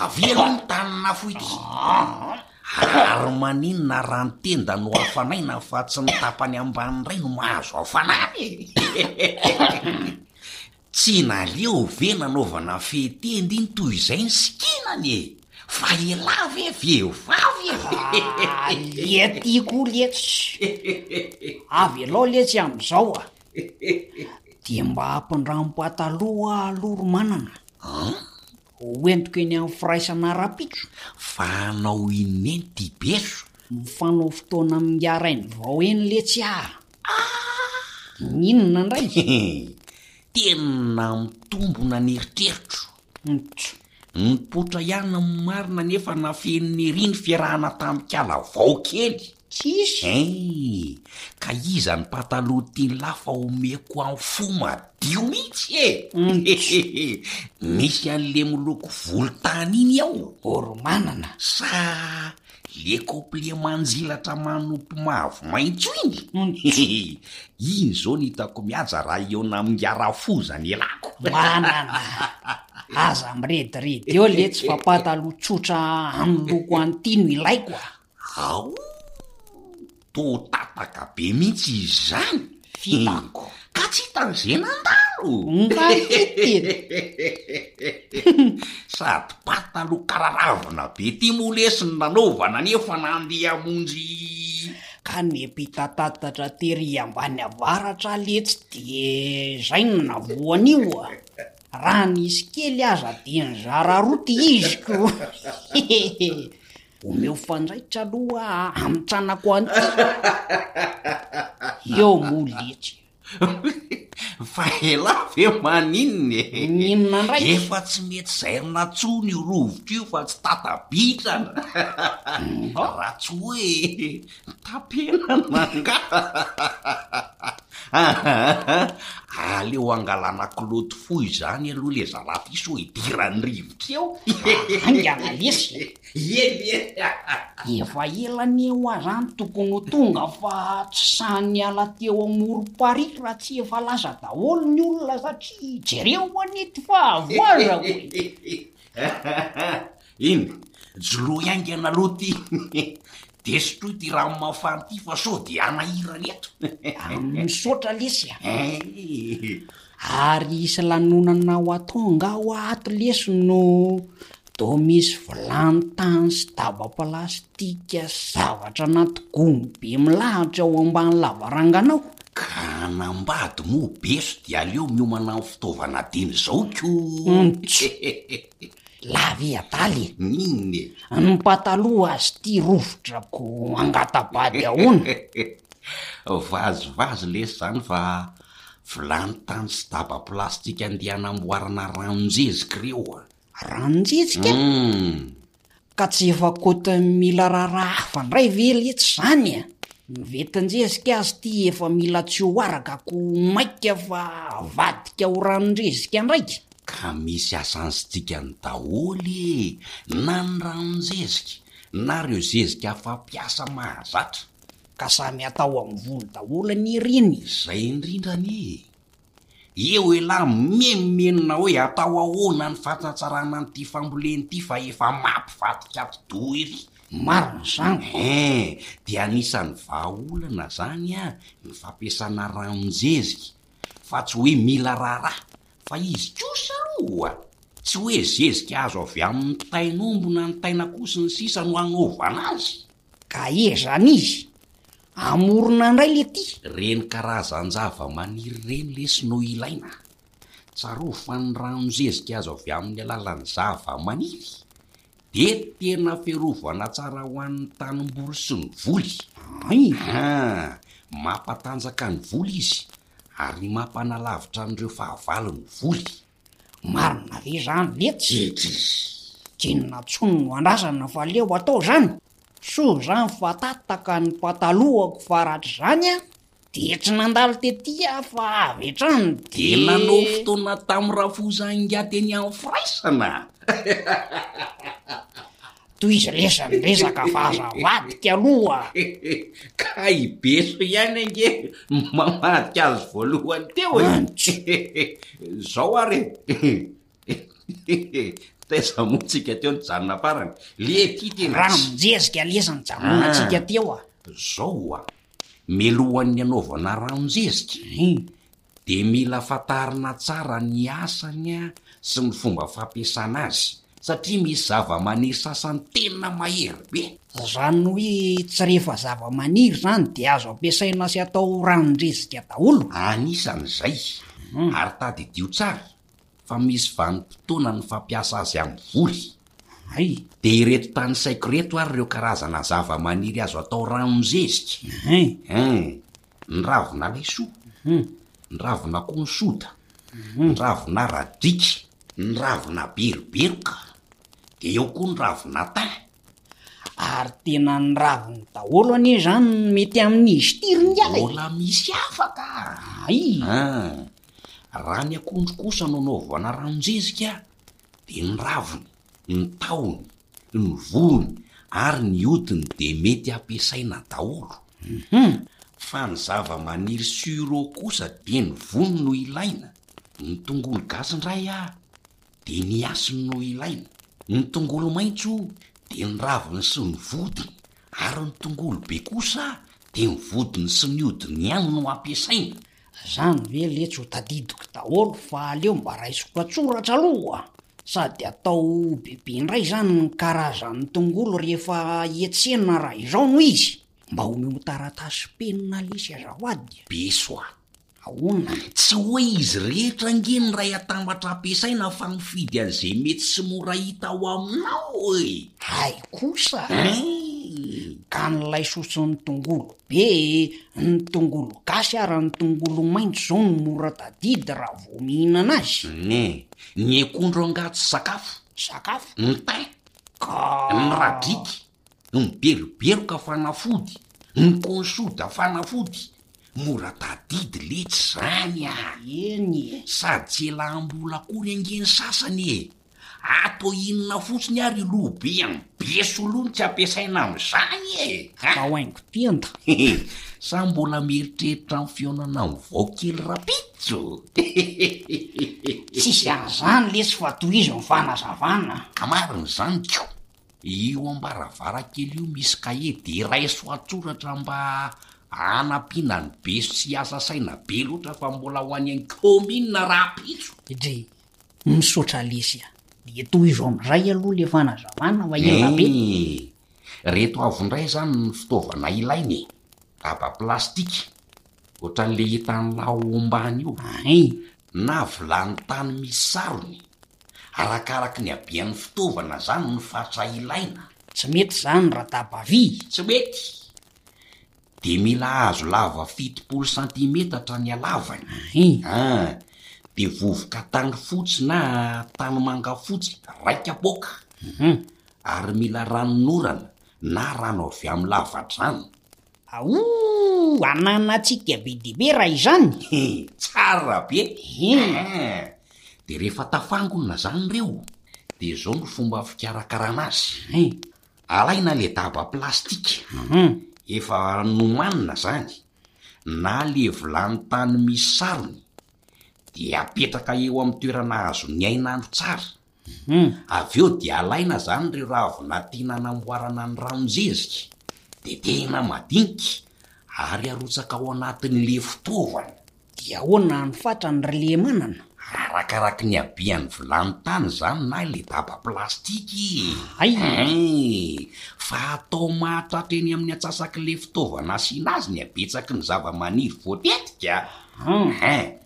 S9: Avia aloha ny tanin'afo ity. Ary maninona raha ny tenda no hafanaina fa tsy ny tapany ambany indray no mahazo hafanana e? Tsy naleo ve nanaovana fehy-tenda iny toy izay ny sikinany e? Fa elah ve vehivavy e?
S7: Alia ty koa letsy. Avelao letsy amin'izao a. Dia mba ampindramo pataloha aho aloha ry manana.
S9: An?
S7: Ho entiko eny amin'ny firaisana rahampitso.
S9: Fa hanao inona eny ty beso?
S7: Mifanao fotoana amin'ingahy Rainivao eny letsy ah! N'inona indray?
S9: Tena mitombona ny eritreritro.
S7: Ntso.
S9: Nipoitra ihany ny marina nefa nafeniny ery ny fiarahana tamin'ikala vao kely.
S7: Tsisy.
S9: Hein! Ka iza ny pataloha tian'lah fa omeko am fo madio mihitsy e! Misy an'le miloko volontany iny ao.
S7: Oromanana.
S9: Sa.
S11: Le complet manjilatra manopy mavo maitso iny? Iny zao no hitako mihaja raha hihaona amin'ingahy Rafoza ny elako.
S7: Manana! Aza mirediredy eo letsy fa pataloha tsotra amin'ny loko an'ity no ilaiko a!
S11: Aoh! Toa tataka be mihitsy izy izany.
S7: Fitako.
S11: Ka tsy hitan'izay nandalo.
S7: Nga hita e!
S11: Sady pataloha kararavina be ty moa lesy no nanaovana nefa nandeha hamonjy.
S7: Ka niampitatatatra tery ambany avaratra letsy de zay no navoa an'io a! Raha nisy kely aza de nizara roa ty izy ko! Omeo fanjaitra aloha hamitranako an'ity. Eo moa letsy.
S11: Fa elah ve maninona e?
S7: N'inona ndray?
S11: Efa tsy mety zairina tsony io rovitra io fa tsy tata-bitrana. Raha tsy hoe tapenana angaha. Aleo angalana kilaoty fohy izany aloha le zalahy ty sao idiran'ny rivotra eo.
S7: Haingana lesy e.
S11: Eny e!
S7: Efa ela anie hoa zany tokony ho tonga fa tsy sahy niala teo amorom-parihy raha tsy efa lasa daholo ny olona satria jereo anie ty fahavoazako e!
S11: Iny, joloy haingana aloha ty de sotroy ty rano mafana ty fa sao de hanahirana eto.
S7: Misaotra lesy a! Ary hisy lanonana ho atao angaha hoa ato lesy no Toa misy vilany tany sy daba plastika sy zavatra anaty gony be milahatra ao ambany lavarangana ao.
S11: Ka hanambady moa beso dia aleo miomana amin'ny fitaovana dieny izao ko!
S7: Ntsy! Lava i adala e!
S11: N'inona e?
S7: Ny pataloha azy ity rovitra ko angata-bady ahoana?
S11: Vazivazy lesy izany fa vilany tany sy daba plastika andeha hanamboarana ranon-jezika ireo a!
S7: Ranon-jezika?
S11: Humm.
S7: Ka tsy efa côte mila raharaha hafa ndray ve letsy zany a? Ny ventin-jezika azy ty efa mila tsy ho araka ko maika fa avadika ho ranon-jezika ndraiky.
S11: Ka misy asansitikany daholo e! Na ny ranon-jezika, na reo zezika fampiasa mahazatra.
S7: Ka samy atao amin'ny volo daholo anie ireny e!
S11: Zay indrindra anie e! Eo elah mimenomenona hoe atao ahoana ny fatsatsarana an'ity fambolena ity fa efa mampivadika atidoha ery.
S7: Marina izany ko.
S11: Hein, dia anisan'ny vahaolana zany an ny fampiasana ranon-jezika fa tsy hoe mila raharaha fa izy kosa aloha tsy hoe zezika azo avy amin'ny tain'omby na ny tain'akoho sy ny sisa no hanaovana azy.
S7: Ka ezany izy Amorona ndray le ty.
S11: Reny karazan-javamaniry ireny lesy no ilaina. Tsarovy fa ny ranon-jezika azo avy amin'ny alalan'ny zavamaniry dia tena fiarovana tsara ho an'ny tanimboly sy ny voly. Haa, mampatanjaka ny voly izy ary mampanalavitra an'ireo fahavalo ny voly.
S7: Marina ve zany letsy?
S11: Jejezy.
S7: K'inona tsony no andrasana fa aleo atao zany? Soa zany fa tataka ny patalohako fa raha tsy zany an, dia tsy nandalo tety aho fa avy hatrany
S11: Dia
S7: dia.
S11: nanao fotoana tamin'i Rafoza ingahy teny amin'ny firaisana.
S7: Tohizo lesy ny resaka fa aza avadika aloha a!
S11: Ka i Beso ihany ange no mamadika azy voalohany teo e! Zao ary e! Taiza moa tsika teo nijanona farany? Le ty tena
S7: Raha mijeziky lesy nijanonantsika teo a!
S11: Zao a! Mialohan'ny hanaovana ranon-jezika, dia mila fantarina tsara ny asany sy ny fomba fampiasana azy, satria misy zavamaniry sasany tena mahery be.
S7: Izany hoe tsy rehefa zavamaniry izany dia azo ampiasaina sy atao ranon-jezika daholo?
S11: Anisan'izay, ary tadidio tsara fa misy vanim-potoana ny fampiasa azy amin'ny voly.
S7: Hay!
S11: Dia ireto tanisaiko ireto ary ireo karazana zavamaniry azo atao ranon-jezika.
S7: Hein!
S11: Ny ravina laisoa, ny ravina konsoda, ny ravina radriky, ny ravina beroberoka, dia eo koa ny ravina thym.
S7: Ary tena ny raviny daholo anie izany no mety amin'izy ity ry ingahy e!
S11: Mbola misy hafa ka!
S7: Hay!
S11: An! Raha ny akondro kosa no anaovana ranon-jezika dia ny raviny, ny tahony, ny voany. ary ny hodiny dia mety ampiasaina daholo. Fa ny zava-maniry sureau kosa dia ny vony no ilaina, ny tongolo gasy indray ah dia ny hasiny no ilaina, ny tongolo maitso dia ny raviny sy ny vodiny, ary ny tongolo be kosa dia ny vodiny sy ny hodiny ihany no ampiasaina.
S7: Zany ve letsy ho tadidiko daholo fa aleo mba raisiko an-tsoratra aloha Sady atao bebe indray zany ny karazan'ny tongolo rehefa hiantsena raha izao no izy. Mba omeo taratasy sy penina lesy azafady.
S11: Beso a!
S7: Ahoana?
S11: Tsy hoe izy rehetra ange ny ray atambatra ampiasaina fa mifidy an'izay mety sy mora hita ao aminao e!
S7: Hay kosa!
S11: Hein!
S7: Ka ny laisoa sy ny tongolo be e, ny tongolo gasy ary ny tongolo maitso zao no mora tadidy raha vao mihinana azy.
S11: Ny ny akondro angaha tsy sakafo?
S7: Sakafo?
S11: Ny thym?
S7: Ka.
S11: Ny radriky? Ny beroberoka fanafody? Ny konsoda fanafody? Mora tadidy letsy zany a!
S7: Eny e!
S11: Sady tsy elam-bola akory ange ny sasany e! Atao inona fotsiny ary io loha be an'i Besolo io no tsy ampiasaina amin'izany e!
S7: Atao haingo tenda.
S11: Sa mbola mieritreritra ny fihaonana amin'ny vao kely rapitso?
S7: Tsisy an'izany lesy fa tohizo ny fanazavana.
S11: Ka marina izany ko! Io ambaravarakely io misy kahie de raiso an-tsoratra mba hanampiana an'i Beso tsy hiasa saina be loatra fa mbola ho any an-kaominina rahampitso.
S7: Dry, Misaotra lesy a! Dia tohizo amin'izay aloha le fanazavana fa ela be.
S11: Eeh! Reto avy indray izany ny fitaovana ilaina e! Daba plastika, ohatran'le hitan'lah ao ambany io.
S7: Hay!
S11: Na vilany tany misy sarony. Arakaraky ny habean'ny fitaovana izany ny fatra ilaina.
S7: Tsy mety izany raha daba vy.
S11: Tsy mety! Dia mila hazo lava 70 santimetatra ny halavany. An! Dia vovoka tany fotsy na tanimanga fotsy ray kapoaka. Ary mila ranonorana na rano avy amin'ny lavadrano.
S7: Aouh! Ananantsika be dia be raha izany!
S11: He! Tsara be! An! Dia rehefa tafangona izany ireo, dia izao no fomba fikarakarana azy. Alaina le daba plastika efa nomanina zany na le vilany tany misy sarony de apetraka eo amin'ny toerana azon'ny hain'andro tsara. Avy eo de alaina zany ireo ravina tiana anamboarana ny ranon-jezika, tetehina madinika ary arotsaka ao anatin'le fitaovana.
S7: Dia ahoana ny fatrany ry Lemanana?
S11: Arakaraky ny habean'ny vilany tany izany na ilay daba plastika e!
S7: Hay!
S11: Hein! Fa atao mahatratra eny amin'ny antsasak'ilay fitaovana asiana azy ny habetsaky ny zavamaniry voatetika. Hein!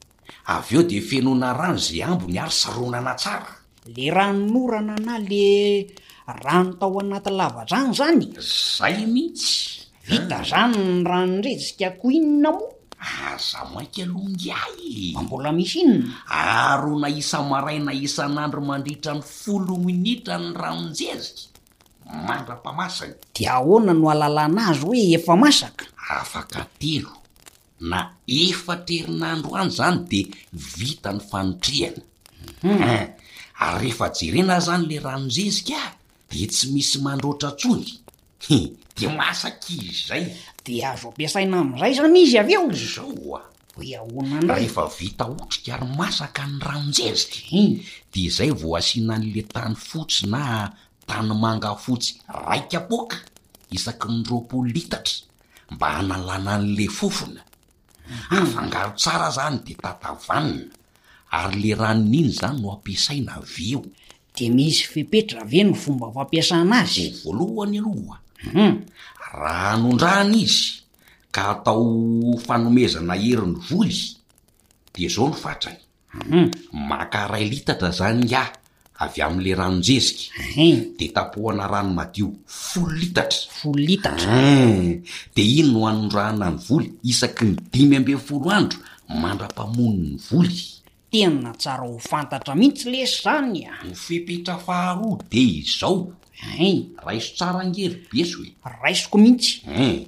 S11: Avy eo dia fenoina rano izay ambiny ary saronana tsara.
S7: Le ranonorana na le rano tao anaty lavadrano zany?
S11: Zay mihitsy.
S7: Vita zany ny ranon-drejika ko inona moa?
S11: Aza maika aloha ingahy e!
S7: Fa mbola misy inona?
S11: Arona isa-maraina isan'andro mandritra ny folo minitra ny ranon-jezika, mandra-pamasany.
S7: Dia ahoana no ahalalana azy hoe efa masaka?
S11: Afaka telo na efatra herinandro any zany de vita ny fanotrehana. Hein! Ary rehefa jerena zany le ranon-jezika de tsy misy mandroatra tsony. He! De masaka izy zay.
S7: De azo ampiasaina amizay zany izy avy eo?
S11: Zao oa!
S7: Hoe ahoana ndray?
S11: Rehefa vita otrika ary masaka ny ranon-jezika, de zay vao asiana an'le tany fotsy na tanimanga fotsy ray kapoaka isaky ny 20 litatra. mba hanalana an'le fofona. Afangaro tsara zany de tatavanina, ary le ranony iny zany no ampiasaina avy eo.
S7: De misy fepetra ve ny fomba fampiasana azy?
S11: Voalohany aloha, raha anondrahana izy ka atao fanomezana hery ny voly de zao no fatrany, Maka ray litatra zany ingahy avy amin'le ranon-jezika, de tapohana rano madio folo litatra.
S7: Folo litatra.
S11: Hein! De iny no anondrahana ny voly isaky ny 15 andro mandra-pamono ny voly.
S7: Tena tsara ho fantatra mihitsy lesy zany a!
S11: Ny fepetra faharoa de izao.
S7: Hein!
S11: Raiso tsara ange ry beso e!
S7: Raisiko mihitsy.
S11: Hein!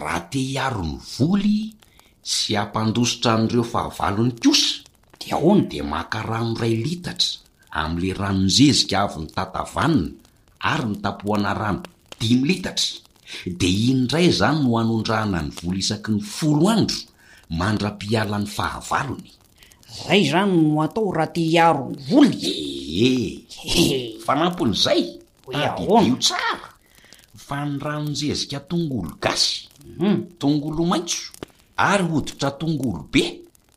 S11: Raha te hiaro ny voly sy hampandositra an'ireo fahavalony kosa
S7: Dia ahoana?
S11: dia maka rano iray litatra amin'ilay ranon-jezika avy nitatavanina ary nitapohana rano. Dimy litatra. Dia iny indray izany no hanondrahana ny voly isaky ny folo andro mandra-pialan'ny fahavalony.
S7: Zay izany no atao raha te hiaro ny voly?
S11: Ee. Fanampin'izay, tadidio tsara fa ny ranon-jezika tongolo gasy, tongolo maitso ary hoditra tongolo be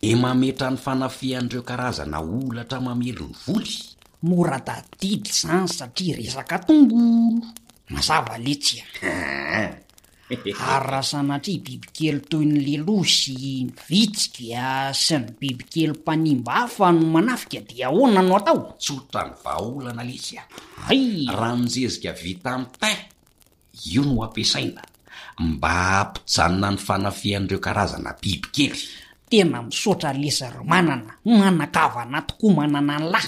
S11: dia mametra ny fanafihan'ireo karazana holatra mamely ny voly.
S7: Mora tadidy izany satria resaka tongolo. Mazava letsy a! Ary raha sanatria bibikely toy ny leloha sy ny vitsika sy ny bibikely mpanimba hafa no manafika dia ahoana no atao?
S11: Tsotra ny vahaolana lesy a!
S7: Hay!
S11: Ranon-jezika vita amin'ny thym, io no ampiasaina mba hampijanona ny fanafihan'ireo karazana bibikely.
S7: Tena misaotra lesy ry manana, manan-kavana tokoa manana an'lah.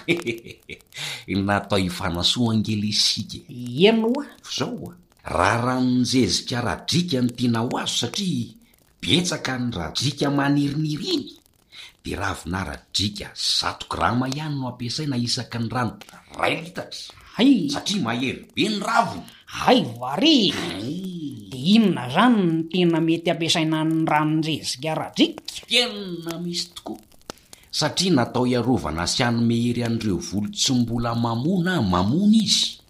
S11: Natao hifanasoa ange lesy isika
S7: e! Eny oa!
S11: F'izao oa! Raha ranon-jezika radriaka no tiana ho azo satria betsaka ny radriaka maniriniry iny dia ravina radriaka zato grama ihany no ampiasaina isaky ny rano iray litatra
S7: Hay!
S11: satria mahery be ny raviny.
S7: Hay va re! Dia inona izany no tena mety ampiasaina ny ranon-jezika radriaka?
S11: Tena misy tokoa satria natao hiarovana sy hanome hery an'ireo voly tsy mbola mamoa na mamony izy.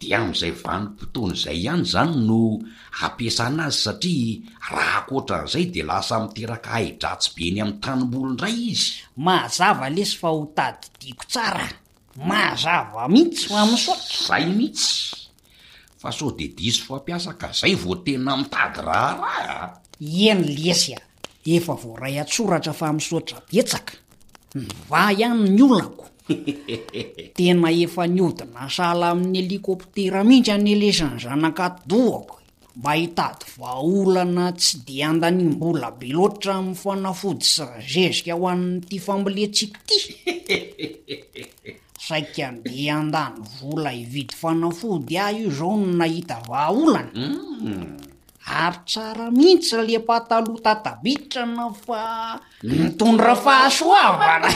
S11: Dia amin'izay vanim-potoana izay ihany izany no ampiasana azy satria raha ankoatran'izay dia lasa miteraka ahi-dratsy be eny amin'ny tanimboly indray izy.
S7: Mazava lesy fa ho tadidiako tsara, mazava mihitsy fa misaotra.
S11: Zay mihitsy, fa sao dia diso fampiasa ka zay vao tena mitady raharaha a!
S7: Eny lesy a! Efa voaray an-tsoratra fa misaotra betsaka. Mivaha ihany ny olako. Tena efa nihodina sahala amin'ny helikoptera mihitsy anie lesy ny zanak'atidohako e! Mba hitady vahaolana tsy dia andaniam-bola be loatra amin'ny fanafody sy zezika ho an'ity fambolentsika ity. Saika andeha handany vola hividy fanafody aho io izao no nahita vahaolana. Ary tsara mihitsy le pataloha tatabitrana fa mitondra fahasoavana.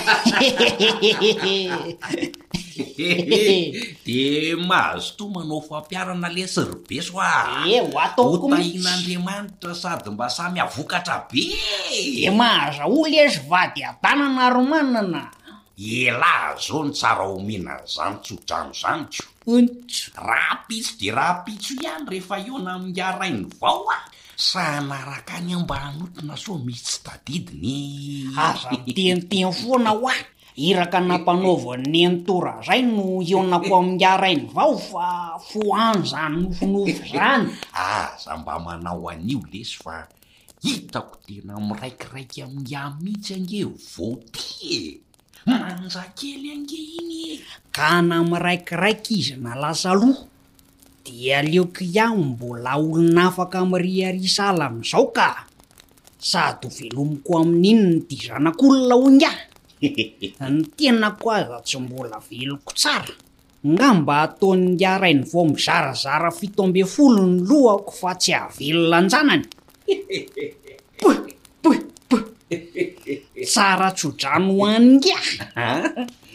S11: De mazotoa manao fampiharana lesy ry beso a!
S7: Eh, ho ataoko mihitsy.
S11: Ho tahin'Andriamanitra sady mba samy havokatra be e!
S7: De mahazahoa lesy vady adanana ry manana.
S11: Elah zao no tsara omena an'izany tsodrano izany ko!
S7: Ontso.
S11: Rahampitso dia rahampitso ihany rehefa hihaona amin'ingahy Rainivao aho, sa hanaraka any aho mba hanotrona sao misy tsy tadidiny e!
S7: Aza miteniteny foana hoa, iraka nampanaovan'i Nenitoa Razay no hihaonako amin'ingahy Rainivao fa fohano izany nofinofy izany.
S11: Aza mba manao an'io lesy fa hitako tena miraikiraiky amin'ingahy mihitsy ange vao ty e! Manja kely ange iny e!
S7: Ka na miraikiraiky izy na lasa aloha dia aleoko ihany mbola olona afaka miriaria sahala amin'izao ka! Sady ho velomiko amin'inona ity zanak'olona hoy ingahy? Ny tenako aza tsy mbola veloko tsara, ngamba ataon'ingahy Rainivao mizarazara 17 ny lohako fa tsy hahavelona an-janany. Puh! Puh! Puh! Tsara tso-drano ho an'ingahy!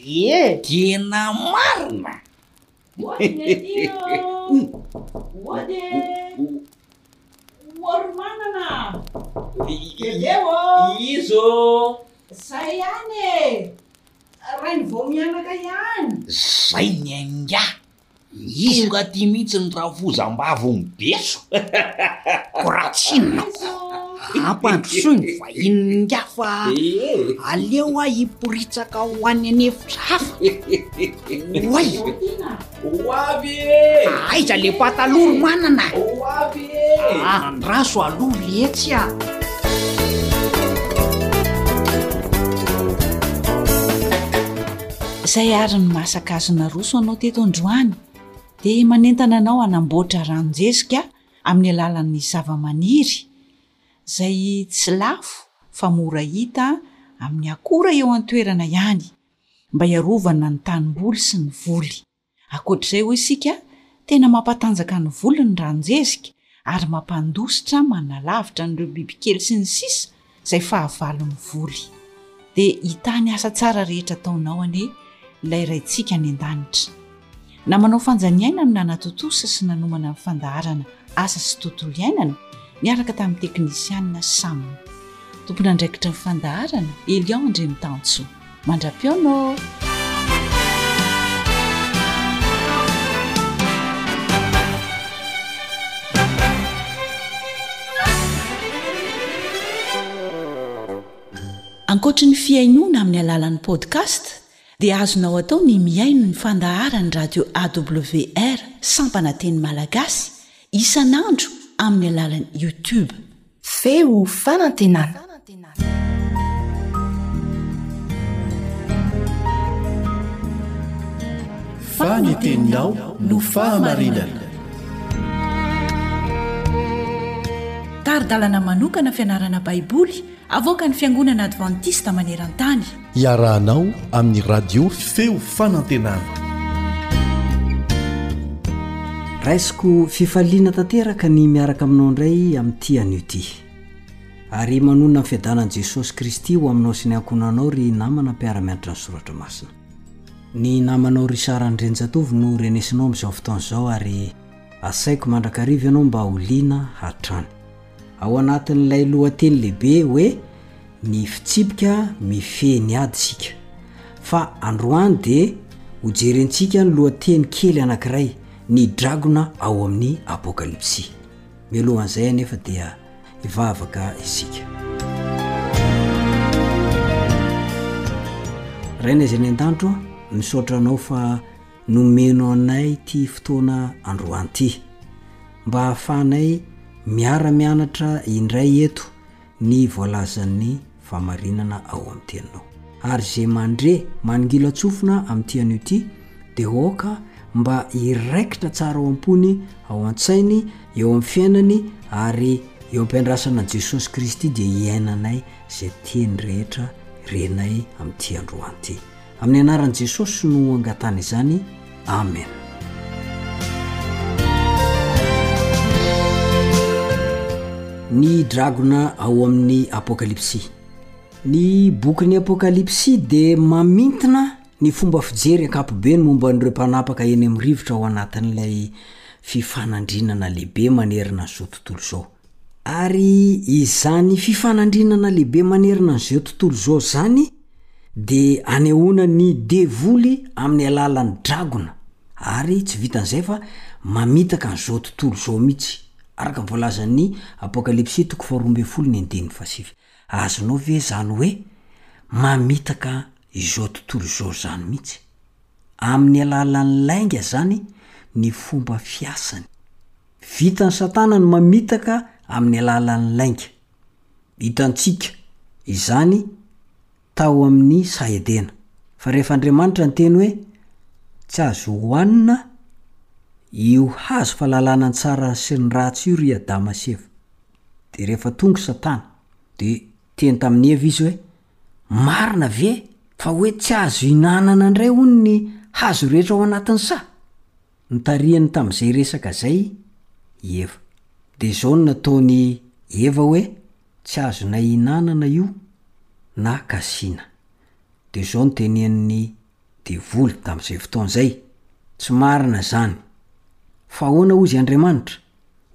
S7: Ie!
S11: Tena marina!
S2: Mody ny aty ô! Mody e! Ory manana! Bebe ô!
S11: Iza ô?
S2: Zay ihany e! Rainivao mianaka ihany!
S11: Zay ny an'ingahy! Tonga aty mihitsy ny rafozam-bavy mibeso.
S7: Ko raha tsy inona ko, ampandrosoy ny vahinin'ingahy fa aleo aho hiporitsaka ho any an'efitra hafa. Oay!
S11: Ho avy e!
S7: Aiza le pataloha ry manana?
S11: Ho avy e!
S7: Andraso aloha letsy a!
S3: Izay ary ny masaka azo naroso anao teto androany dia manentana anao hanamboatra ranon-jezika amin'ny alalan'ny zavamaniry izay tsy lafo fa mora hita amin'ny akora eo an-toerana ihany mba hiarovana ny tanimboly sy ny voly. Ankoatr'izay hoy isika, tena mampatanjaka ny voly ny ranon-jezika ary mampandositra manalavitra an'ireo bibikely sy ny sisa izay fahavalon'ny voly. Dia hitahy ny asa tsara rehetra ataonao anie ilay Raintsika any an-danitra. Namanao Fanjaniaina no nanatontosa sy nanomana ny fandaharana Asa sy Tontolo Iainana niaraka tamin'ny teknisianina Sam. Tompon'andraikitry ny fandaharana, Elion Andriamitansoa. Mandra-pihaona ô! Ankoatry ny fihainoana amin'ny alalan'ny podcast dia azonao atao ny mihaino ny fandaharan'ny radio AWR sampana teny malagasy isan'andro amin'ny alalan'ny YouTube.
S12: Feo fanantenana.
S4: Fa ny teninao no fahamarinana.
S3: Tari-dalana manokana fianarana Baiboly avoakan'ny Fiangonana Advantista maneran-tany.
S4: Iarahanao amin'ny Radio Feo Fanantenana.
S13: Raisiko fifaliana tanteraka ny miaraka aminao indray amin'ity anio ity. Ary manonona ny fiadanan'i Jesosy Kristy ho aminao sy ny ankohonanao ry namana mpiara-mianatra ny soratra masina. Ny namanao Richard Andrianjatovo no renesinao amin'izao fotoana izao ary asaiko mandrakariva ianao mba ho liana hatrany. Ao anatin'ilay lohateny lehibe hoe Ny fitsipika mifehy ny ady isika. Fa androany dia hojerentsika ny lohateny kely anankiray, Ny dragona ao amin'ny Apokalypsy. Mialohan'izay anefa dia hivavaka isika. Rainay izay any an-danitra ô, misaotra Anao fa nomeno anay ity fotoana androany ity, mba hahafahanay miara-mianatra indray eto ny voalazan'ny fahamarinana ao amin'ny Teninao. Ary izay mandre manongilan-tsofina amin'ity anio ity dia aoka mba hiraikitra tsara ao am-pony, ao an-tsainy, eo amin'ny fiainany ary eo am-piandrasana an'i Jesosy Kristy dia hiainanay izay teny rehetra renay amin'ity androany ity. Amin'ny anaran'i Jesosy no angatahana izany. Amen. Ny dragona ao amin'ny Apokalypsy. Ny bokin'ny Apokalypsy dia mamintina ny fomba fijery ankapobeny momba an'ireo mpanapaka eny amin'ny rivotra ao anatin'ilay fifanandrinana lehibe manerana an'izao tontolo izao. Ary izany fifanandrinana lehibe manerana an'izao tontolo izao izany dia anehoana ny devoly amin'ny alalan'ny dragona, ary tsy vitan'izay fa mamitaka an'izao tontolo izao mihitsy, araka ny voalazan'ny Apokalypsy toko faharoa ambin'ny folo ny andininy fahasivy. Azonao ve izany hoe mamitaka izao tontolo izao izany mihitsy? Amin'ny alalan'ny lainga izany ny fomba fiasany. Vitan'i Satana ny mamitaka amin'ny alalan'ny lainga. Hitantsika izany tao amin'ny saha Edena. Fa rehefa Andriamanitra niteny hoe tsy azo hohanina io hazo fahalalana ny tsara sy ny ratsy io ry Adama sy Eva. Dia rehefa tonga Satana, dia niteny tamin'i Eva izy hoe, marina ve fa hoe tsy azo ihinanana indray hono ny hazo rehetra ao anatin'ny saha? Notarihany tamin'izay resaka izay i Eva. Dia izao no nataon'i Eva hoe, Tsy azonay ihinanana io na kasihina. Dia izao no tenenin'ny devoly tamin'izay fotoana izay, Tsy marina izany. Fa ahoana hozy Andriamanitra?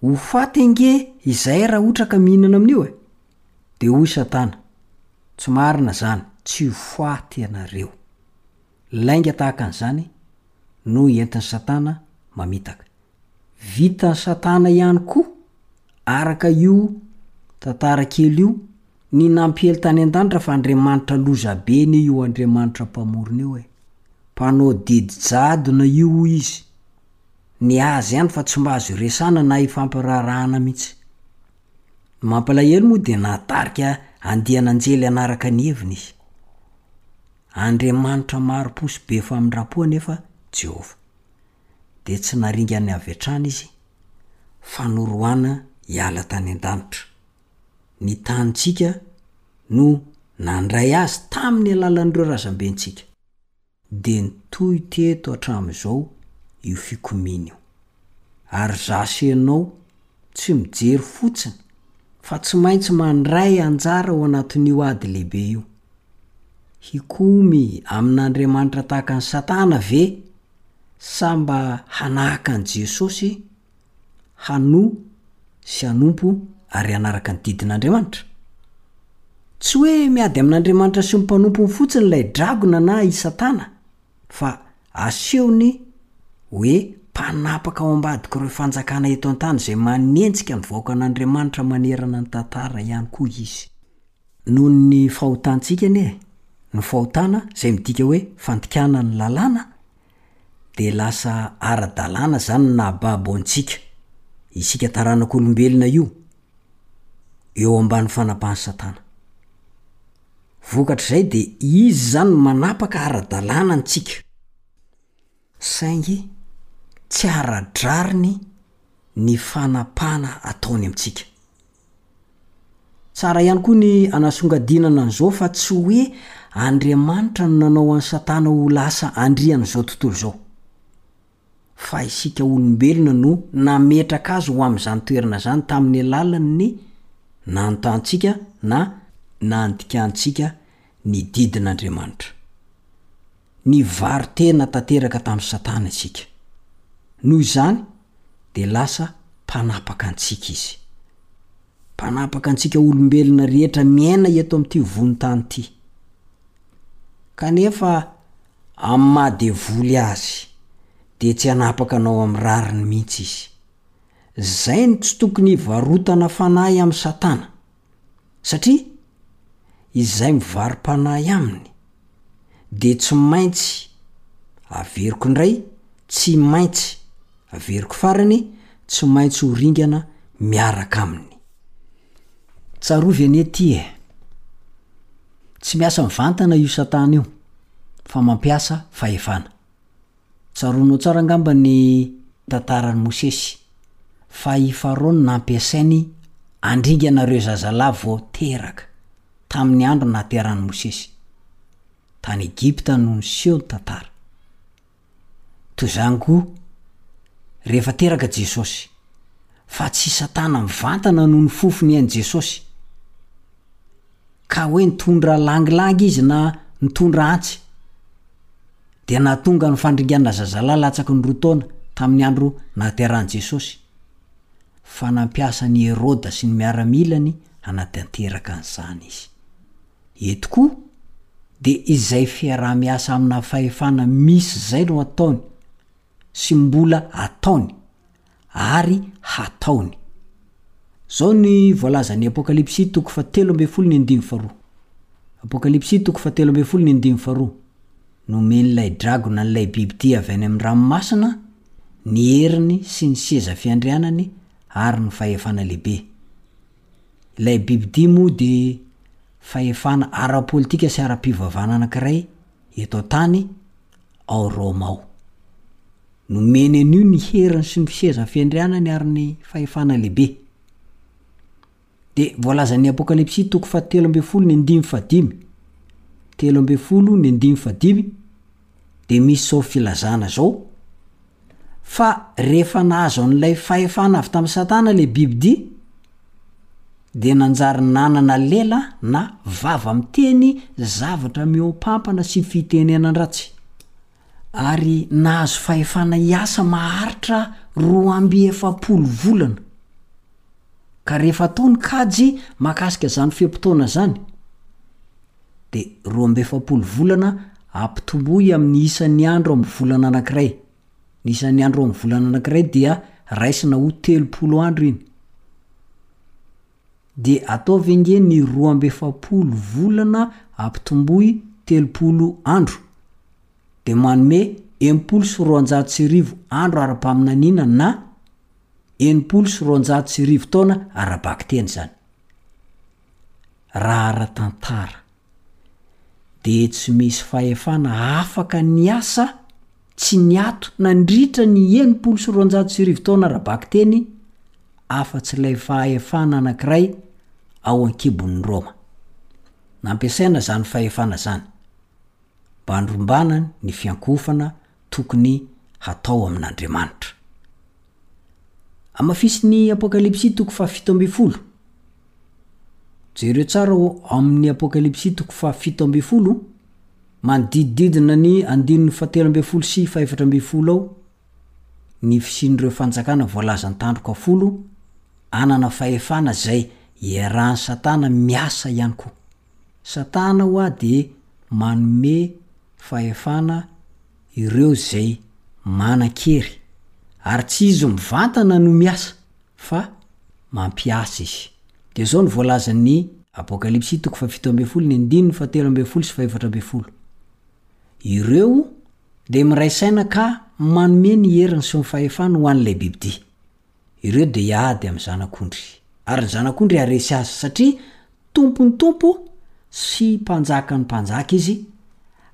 S13: Ho faty ange izahay raha ohatra ka mihinana amin'io e! Dia hoy Satana, Tsy marina izany, tsy ho faty ianareo. Lainga tahaka an'izany no entin'i Satana mamitaka. Vitan'i Satana ihany koa, araka io tantara kely io, ny nampiely tany an-danitra fa Andriamanitra lozabe anie io Andriamanitra Mpamorona io e! Mpanao didy jadona io hoy izy. Ny azy ihany fa tsy mba azo iresahana na ifampiraharahana mihitsy. Ny mampalahelo moa dia nahatarika andian'anjely hanaraka ny heviny izy. Andriamanitra mari-po sy be famindram-po anefa Jehovah. Dia tsy naringany avy hatrany izy, fa noroahina hiala tany an-danitra. Ny tanintsika no nandray azy tamin'ny alalan'ireo razambentsika. Dia nitohy teto hatramin'izao io fikomiana io. Ary za sy ianao tsy mijery fotsiny fa tsy maintsy mandray anjara ao anatin'io ady lehibe io. Hikomy amin'Andriamanitra tahaka an'i Satana ve? Sa mba hanahaka an'i Jesosy, hanoa sy hanompo ary hanaraka ny didin'Andriamanitra? Tsy hoe miady amin'Andriamanitra sy ny mpanompony fotsiny ilay dragona na i Satana, fa asehony hoe mpanapaka ao ambadik'ireo fanjakana eto an-tany izay manenjika ny vahoakan'Andriamanitra manerana ny tantara ihany koa izy. Noho ny fahotantsika anie, ny fahotana izay midika hoe fandikana ny lalàna, dia lasa ara-dalàna izany ny nahababo antsika, isika taranak'olombelona io, eo ambany fanapahan'i Satana. Vokatr'izay dia izy izany no manapaka ara-dalàna antsika. Saingy tsy ara-drariny ny fanapahana ataony amintsika. Tsara ihany koa ny anasongadinana an'izao fa tsy hoe Andriamanitra no nanao an'i Satana ho lasa andrian'izao tontolo izao. Fa isika olombelona no nametraka azy ho amin'izany toerana izany tamin'ny alalan'ny nanotantsika na nandikantsika ny didin'Andriamanitra. Nivaro-tena tanteraka tamin'i Satana isika. Noho izany, dia lasa mpanapaka antsika izy. Mpanapaka antsika olombelona rehetra miaina eto amin'ity vohon-tany ity. Kanefa, amin'ny maha devoly azy, dia tsy hanapaka anao amin'ny rariny mihitsy izy. Izay no tsy tokony hivarotana fanahy amin'i Satana. Satria izay mivaro-panahy aminy dia tsy maintsy, averiko indray, tsy maintsy, averiko farany, tsy maintsy ho ringana miaraka aminy. Tsarovy anie ity e! Tsy miasa mivantana io satana io fa mampiasa fahefana. Tsaroanao tsara angamba ny tantaran'i Mosesy, fa i Farao no nampiasainy handringana ireo zazalahy vao teraka, tamin'ny andro nahaterahan'i Mosesy. Tany Egypta no niseho ny tantara. Toy izany koa, rehefa teraka Jesosy, fa tsy i Satana mivantana no nifofo ny ain'i Jesosy, ka hoe nitondra langilangy izy na nitondra antsy. dia nahatonga ny fandringanana zazalahy latsaky ny roa taona tamin'ny andro nahaterahan'i Jesosy, fa nampiasa an'i Heroda sy ny miaramilany hanatanteraka an'izany izy. Eto koa, dia izay fiaraha-miasa amina fahefana misy izay no ataony, sy mbola ataony, ary hataony. Izao ny voalazan'ny Apokalypsy toko fahatelo ambin'ny folo ny andininy faharoa. Apokalypsy toko fahatelo ambin'ny folo ny andininy faharoa. Nomen'ilay dragona an'ilay bibidia avy any amin'ny ranomasina ny heriny sy ny seza fiandrianany ary ny fahefana lehibe. Ilay bibidia moa dia fahefana ara-politika sy ara-pivavahana anankiray eto an-tany ao Roma ao. Nomeny an'io ny heriny sy ny seza fiandrianany ary ny fahefana lehibe. Dia voalazan'ny Apokalypsy toko fahatelo ambin'ny folo ny andininy fahadimy, 13 ny andininy fahadimy, dia misy izao filazana izao, fa rehefa nahazo an'ilay fahefana avy tamin'i Satana ilay bibidia, dia nanjary nanana lela na vava miteny zavatra mihoampampana sy fitenenan-dratsy, ary nahazo fahefana hiasa maharitra 42 volana. Ka rehefa atao ny kajy mahakasika izany fe-potoana izany, dia 42 volana ampitomboy amin'ny isan'ny andro amin'ny volana anankiray. Ny isan'ny andro amin'ny volana anankiray dia raisina ho 30 andro iny. Dia ataovy ange ny 42 volana ampitomboy 30 andro. Dia manome 1260 andro ara-paminaniana na 1260 taona ara-bakiteny izany. Raha ara-tantara, dia tsy misy fahefana afaka niasa tsy niato nandritra ny 1260 taona ara-bakiteny afa-tsy ilay fahefana anankiray ao an-kibon'i Roma. Nampiasaina izany fahefana izany mba handrombana ny fiankohofana tokony hatao amin'Andriamanitra. Hamafisin'ny Apokalypsy toko faha-17. Jereo tsara ao amin'ny Apokalypsy toko faha-17. Manodidididina ny andininy fahatelo ambin'ny folo sy fahefatra ambin'ny folo ao ny fisian'ireo fanjakana voalazan-tandroka folo hanana fahefana izay iarahan'i Satana miasa ihany koa. Satana ho'a dia manome fahefana ireo izay manan-kery, ary tsy izy mivantana no miasa fa mampiasa izy. Dia izao no voalazan'ny Apokalypsy toko fahafito ambin'ny folo ny andininy fahatelo ambin'ny folo sy fahefatra ambin'ny folo, Ireo dia miray saina ka manome ny heriny sy ny fahefany ho an'ilay bibidia. Ireo dia hiady amin'ny Zanak'ondry, ary ny Zanak'ondry haharesy azy, satria Tompon'ny tompo sy Mpanjakan'ny mpanjaka Izy,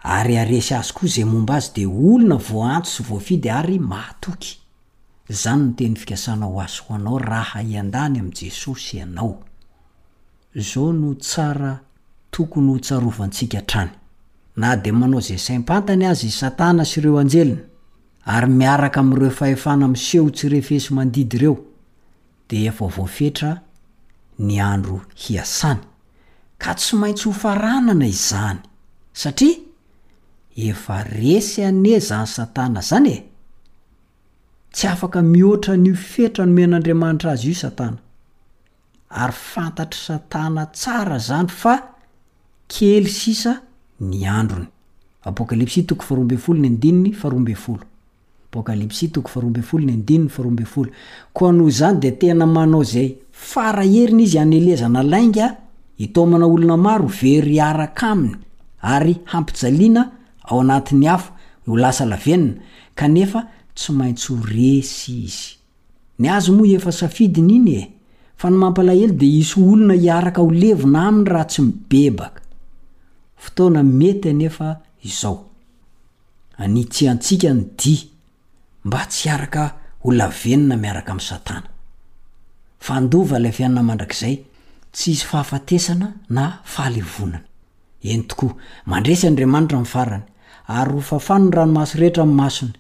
S13: ary haharesy azy koa izay momba Azy dia olona voaantso sy voafidy ary mahatoky. Izany no teny fikasana ho ahy sy ho anao raha hiandany amin'i Jesosy ianao. Izao no tsara tokony hotsarovantsika hatrany, Na dia manao izay saim-pantany aza i Satana sy ireo anjeliny, ary miaraka amin'ireo fahefana miseho tsy refesi-mandidy ireo, dia efa voafetra ny andro hiasany, ka tsy maintsy hofaranana izany, satria efa resy anie izany Satana izany e! Tsy afaka mihoatra an'io fetra nomen'Andriamanitra azy io Satana. Ary fantatr'i Satana tsara izany fa kely sisa ny androny. Apokalypsy toko faharoa ambin'ny folo ny andininy faharoa ambin'ny folo. Apokalypsy toko faharoa ambin'ny folo ny andininy faharoa ambin'ny folo. Koa noho izany dia tena manao izay fara heriny izy hanelezana lainga, hitaomana olona maro ho very hiaraka aminy, ary hampijaliana ao anatin'ny afo ho lasa lavenona, kanefa tsy maintsy ho resy izy. Ny azy moa efa safidiny iny e! Fa ny mampalahelo dia hisy olona hiaraka ho levona aminy raha tsy mibebaka. Fotoana mety anefa izao. Anitsiantsika ny dia mba tsy hiaraka ho lavenona miaraka amin'i Satana. Fa handova ilay fiainana mandrakizay, tsy hisy fahafatesana na fahalevonana. Eny tokoa, mandresy Andriamanitra amin'ny farany, ary ho fafany ny ranomaso rehetra amin'ny masony,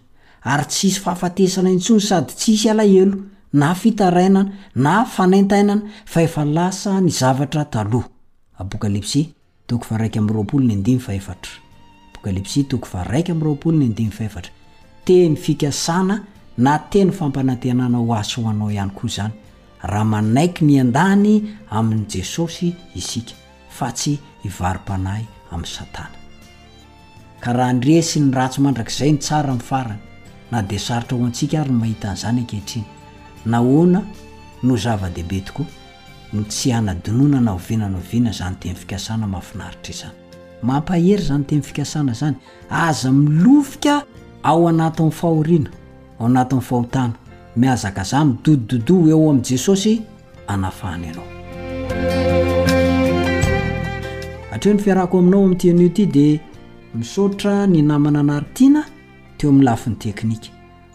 S13: ary tsy hisy fahafatesana intsony sady tsy hisy alahelo, na fitarainana, na fanaintainana, fa efa lasa ny zavatra taloha. Apokalypsy, toko faha-21 ny andininy fahefatra. Apokalypsy, toko faha-21 ny andininy fahefatra. Teny fikasana na teny fampanantenana ho ahy sy ho anao ihany koa izany, raha manaiky ny hiandany amin'i Jesosy isika. fa tsy hivaro-panahy amin'i Satana. Ka raha handresy ny ratsy mandrakizay ny tsara amin'ny farany, na dia sarotra ho antsika ary ny mahita an'izany ankehitriny, nahoana no zava-dehibe tokoa ny tsy hanadinoana na oviana na oviana izany teny fikasana mahafinaritra izany? Mampahery izany teny fikasana izany. Aza milofika ao anatin'ny fahoriana, ao anatin'ny fahotana. Mihazakazaha, midodododo eo amin'i Jesosy anafahany anao. Hatreo ny fiarahako aminao amin'ity anio ity dia misaotra ny namana Naritiana teo amin'ny lafiny teknika.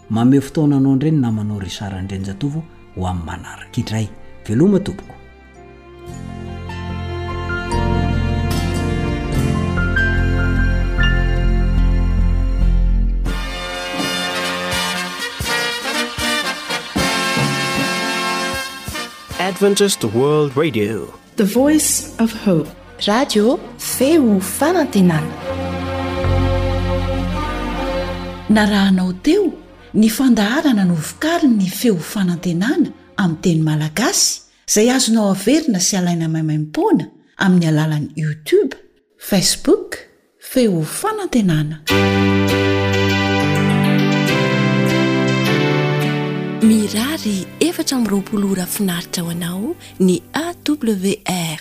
S13: Mamehy fotoana anao indray ny namanao Richard Andrianjatovo ho amin'ny manaraka indray. Veloma tompoko.
S1: Adventist World Radio.
S12: The Voice of Hope.
S14: Radio feo fanantenana.
S3: Narahanao teo ny fandaharana novokarin'ny feo fanantenana amin'ny teny malagasy izay azonao averina sy alaina maimaimpoana amin'ny alalan'ny YouTube, Facebook, Feo Fanantenana.
S12: Mirary 24 ora finaritra ho anao ny AWR.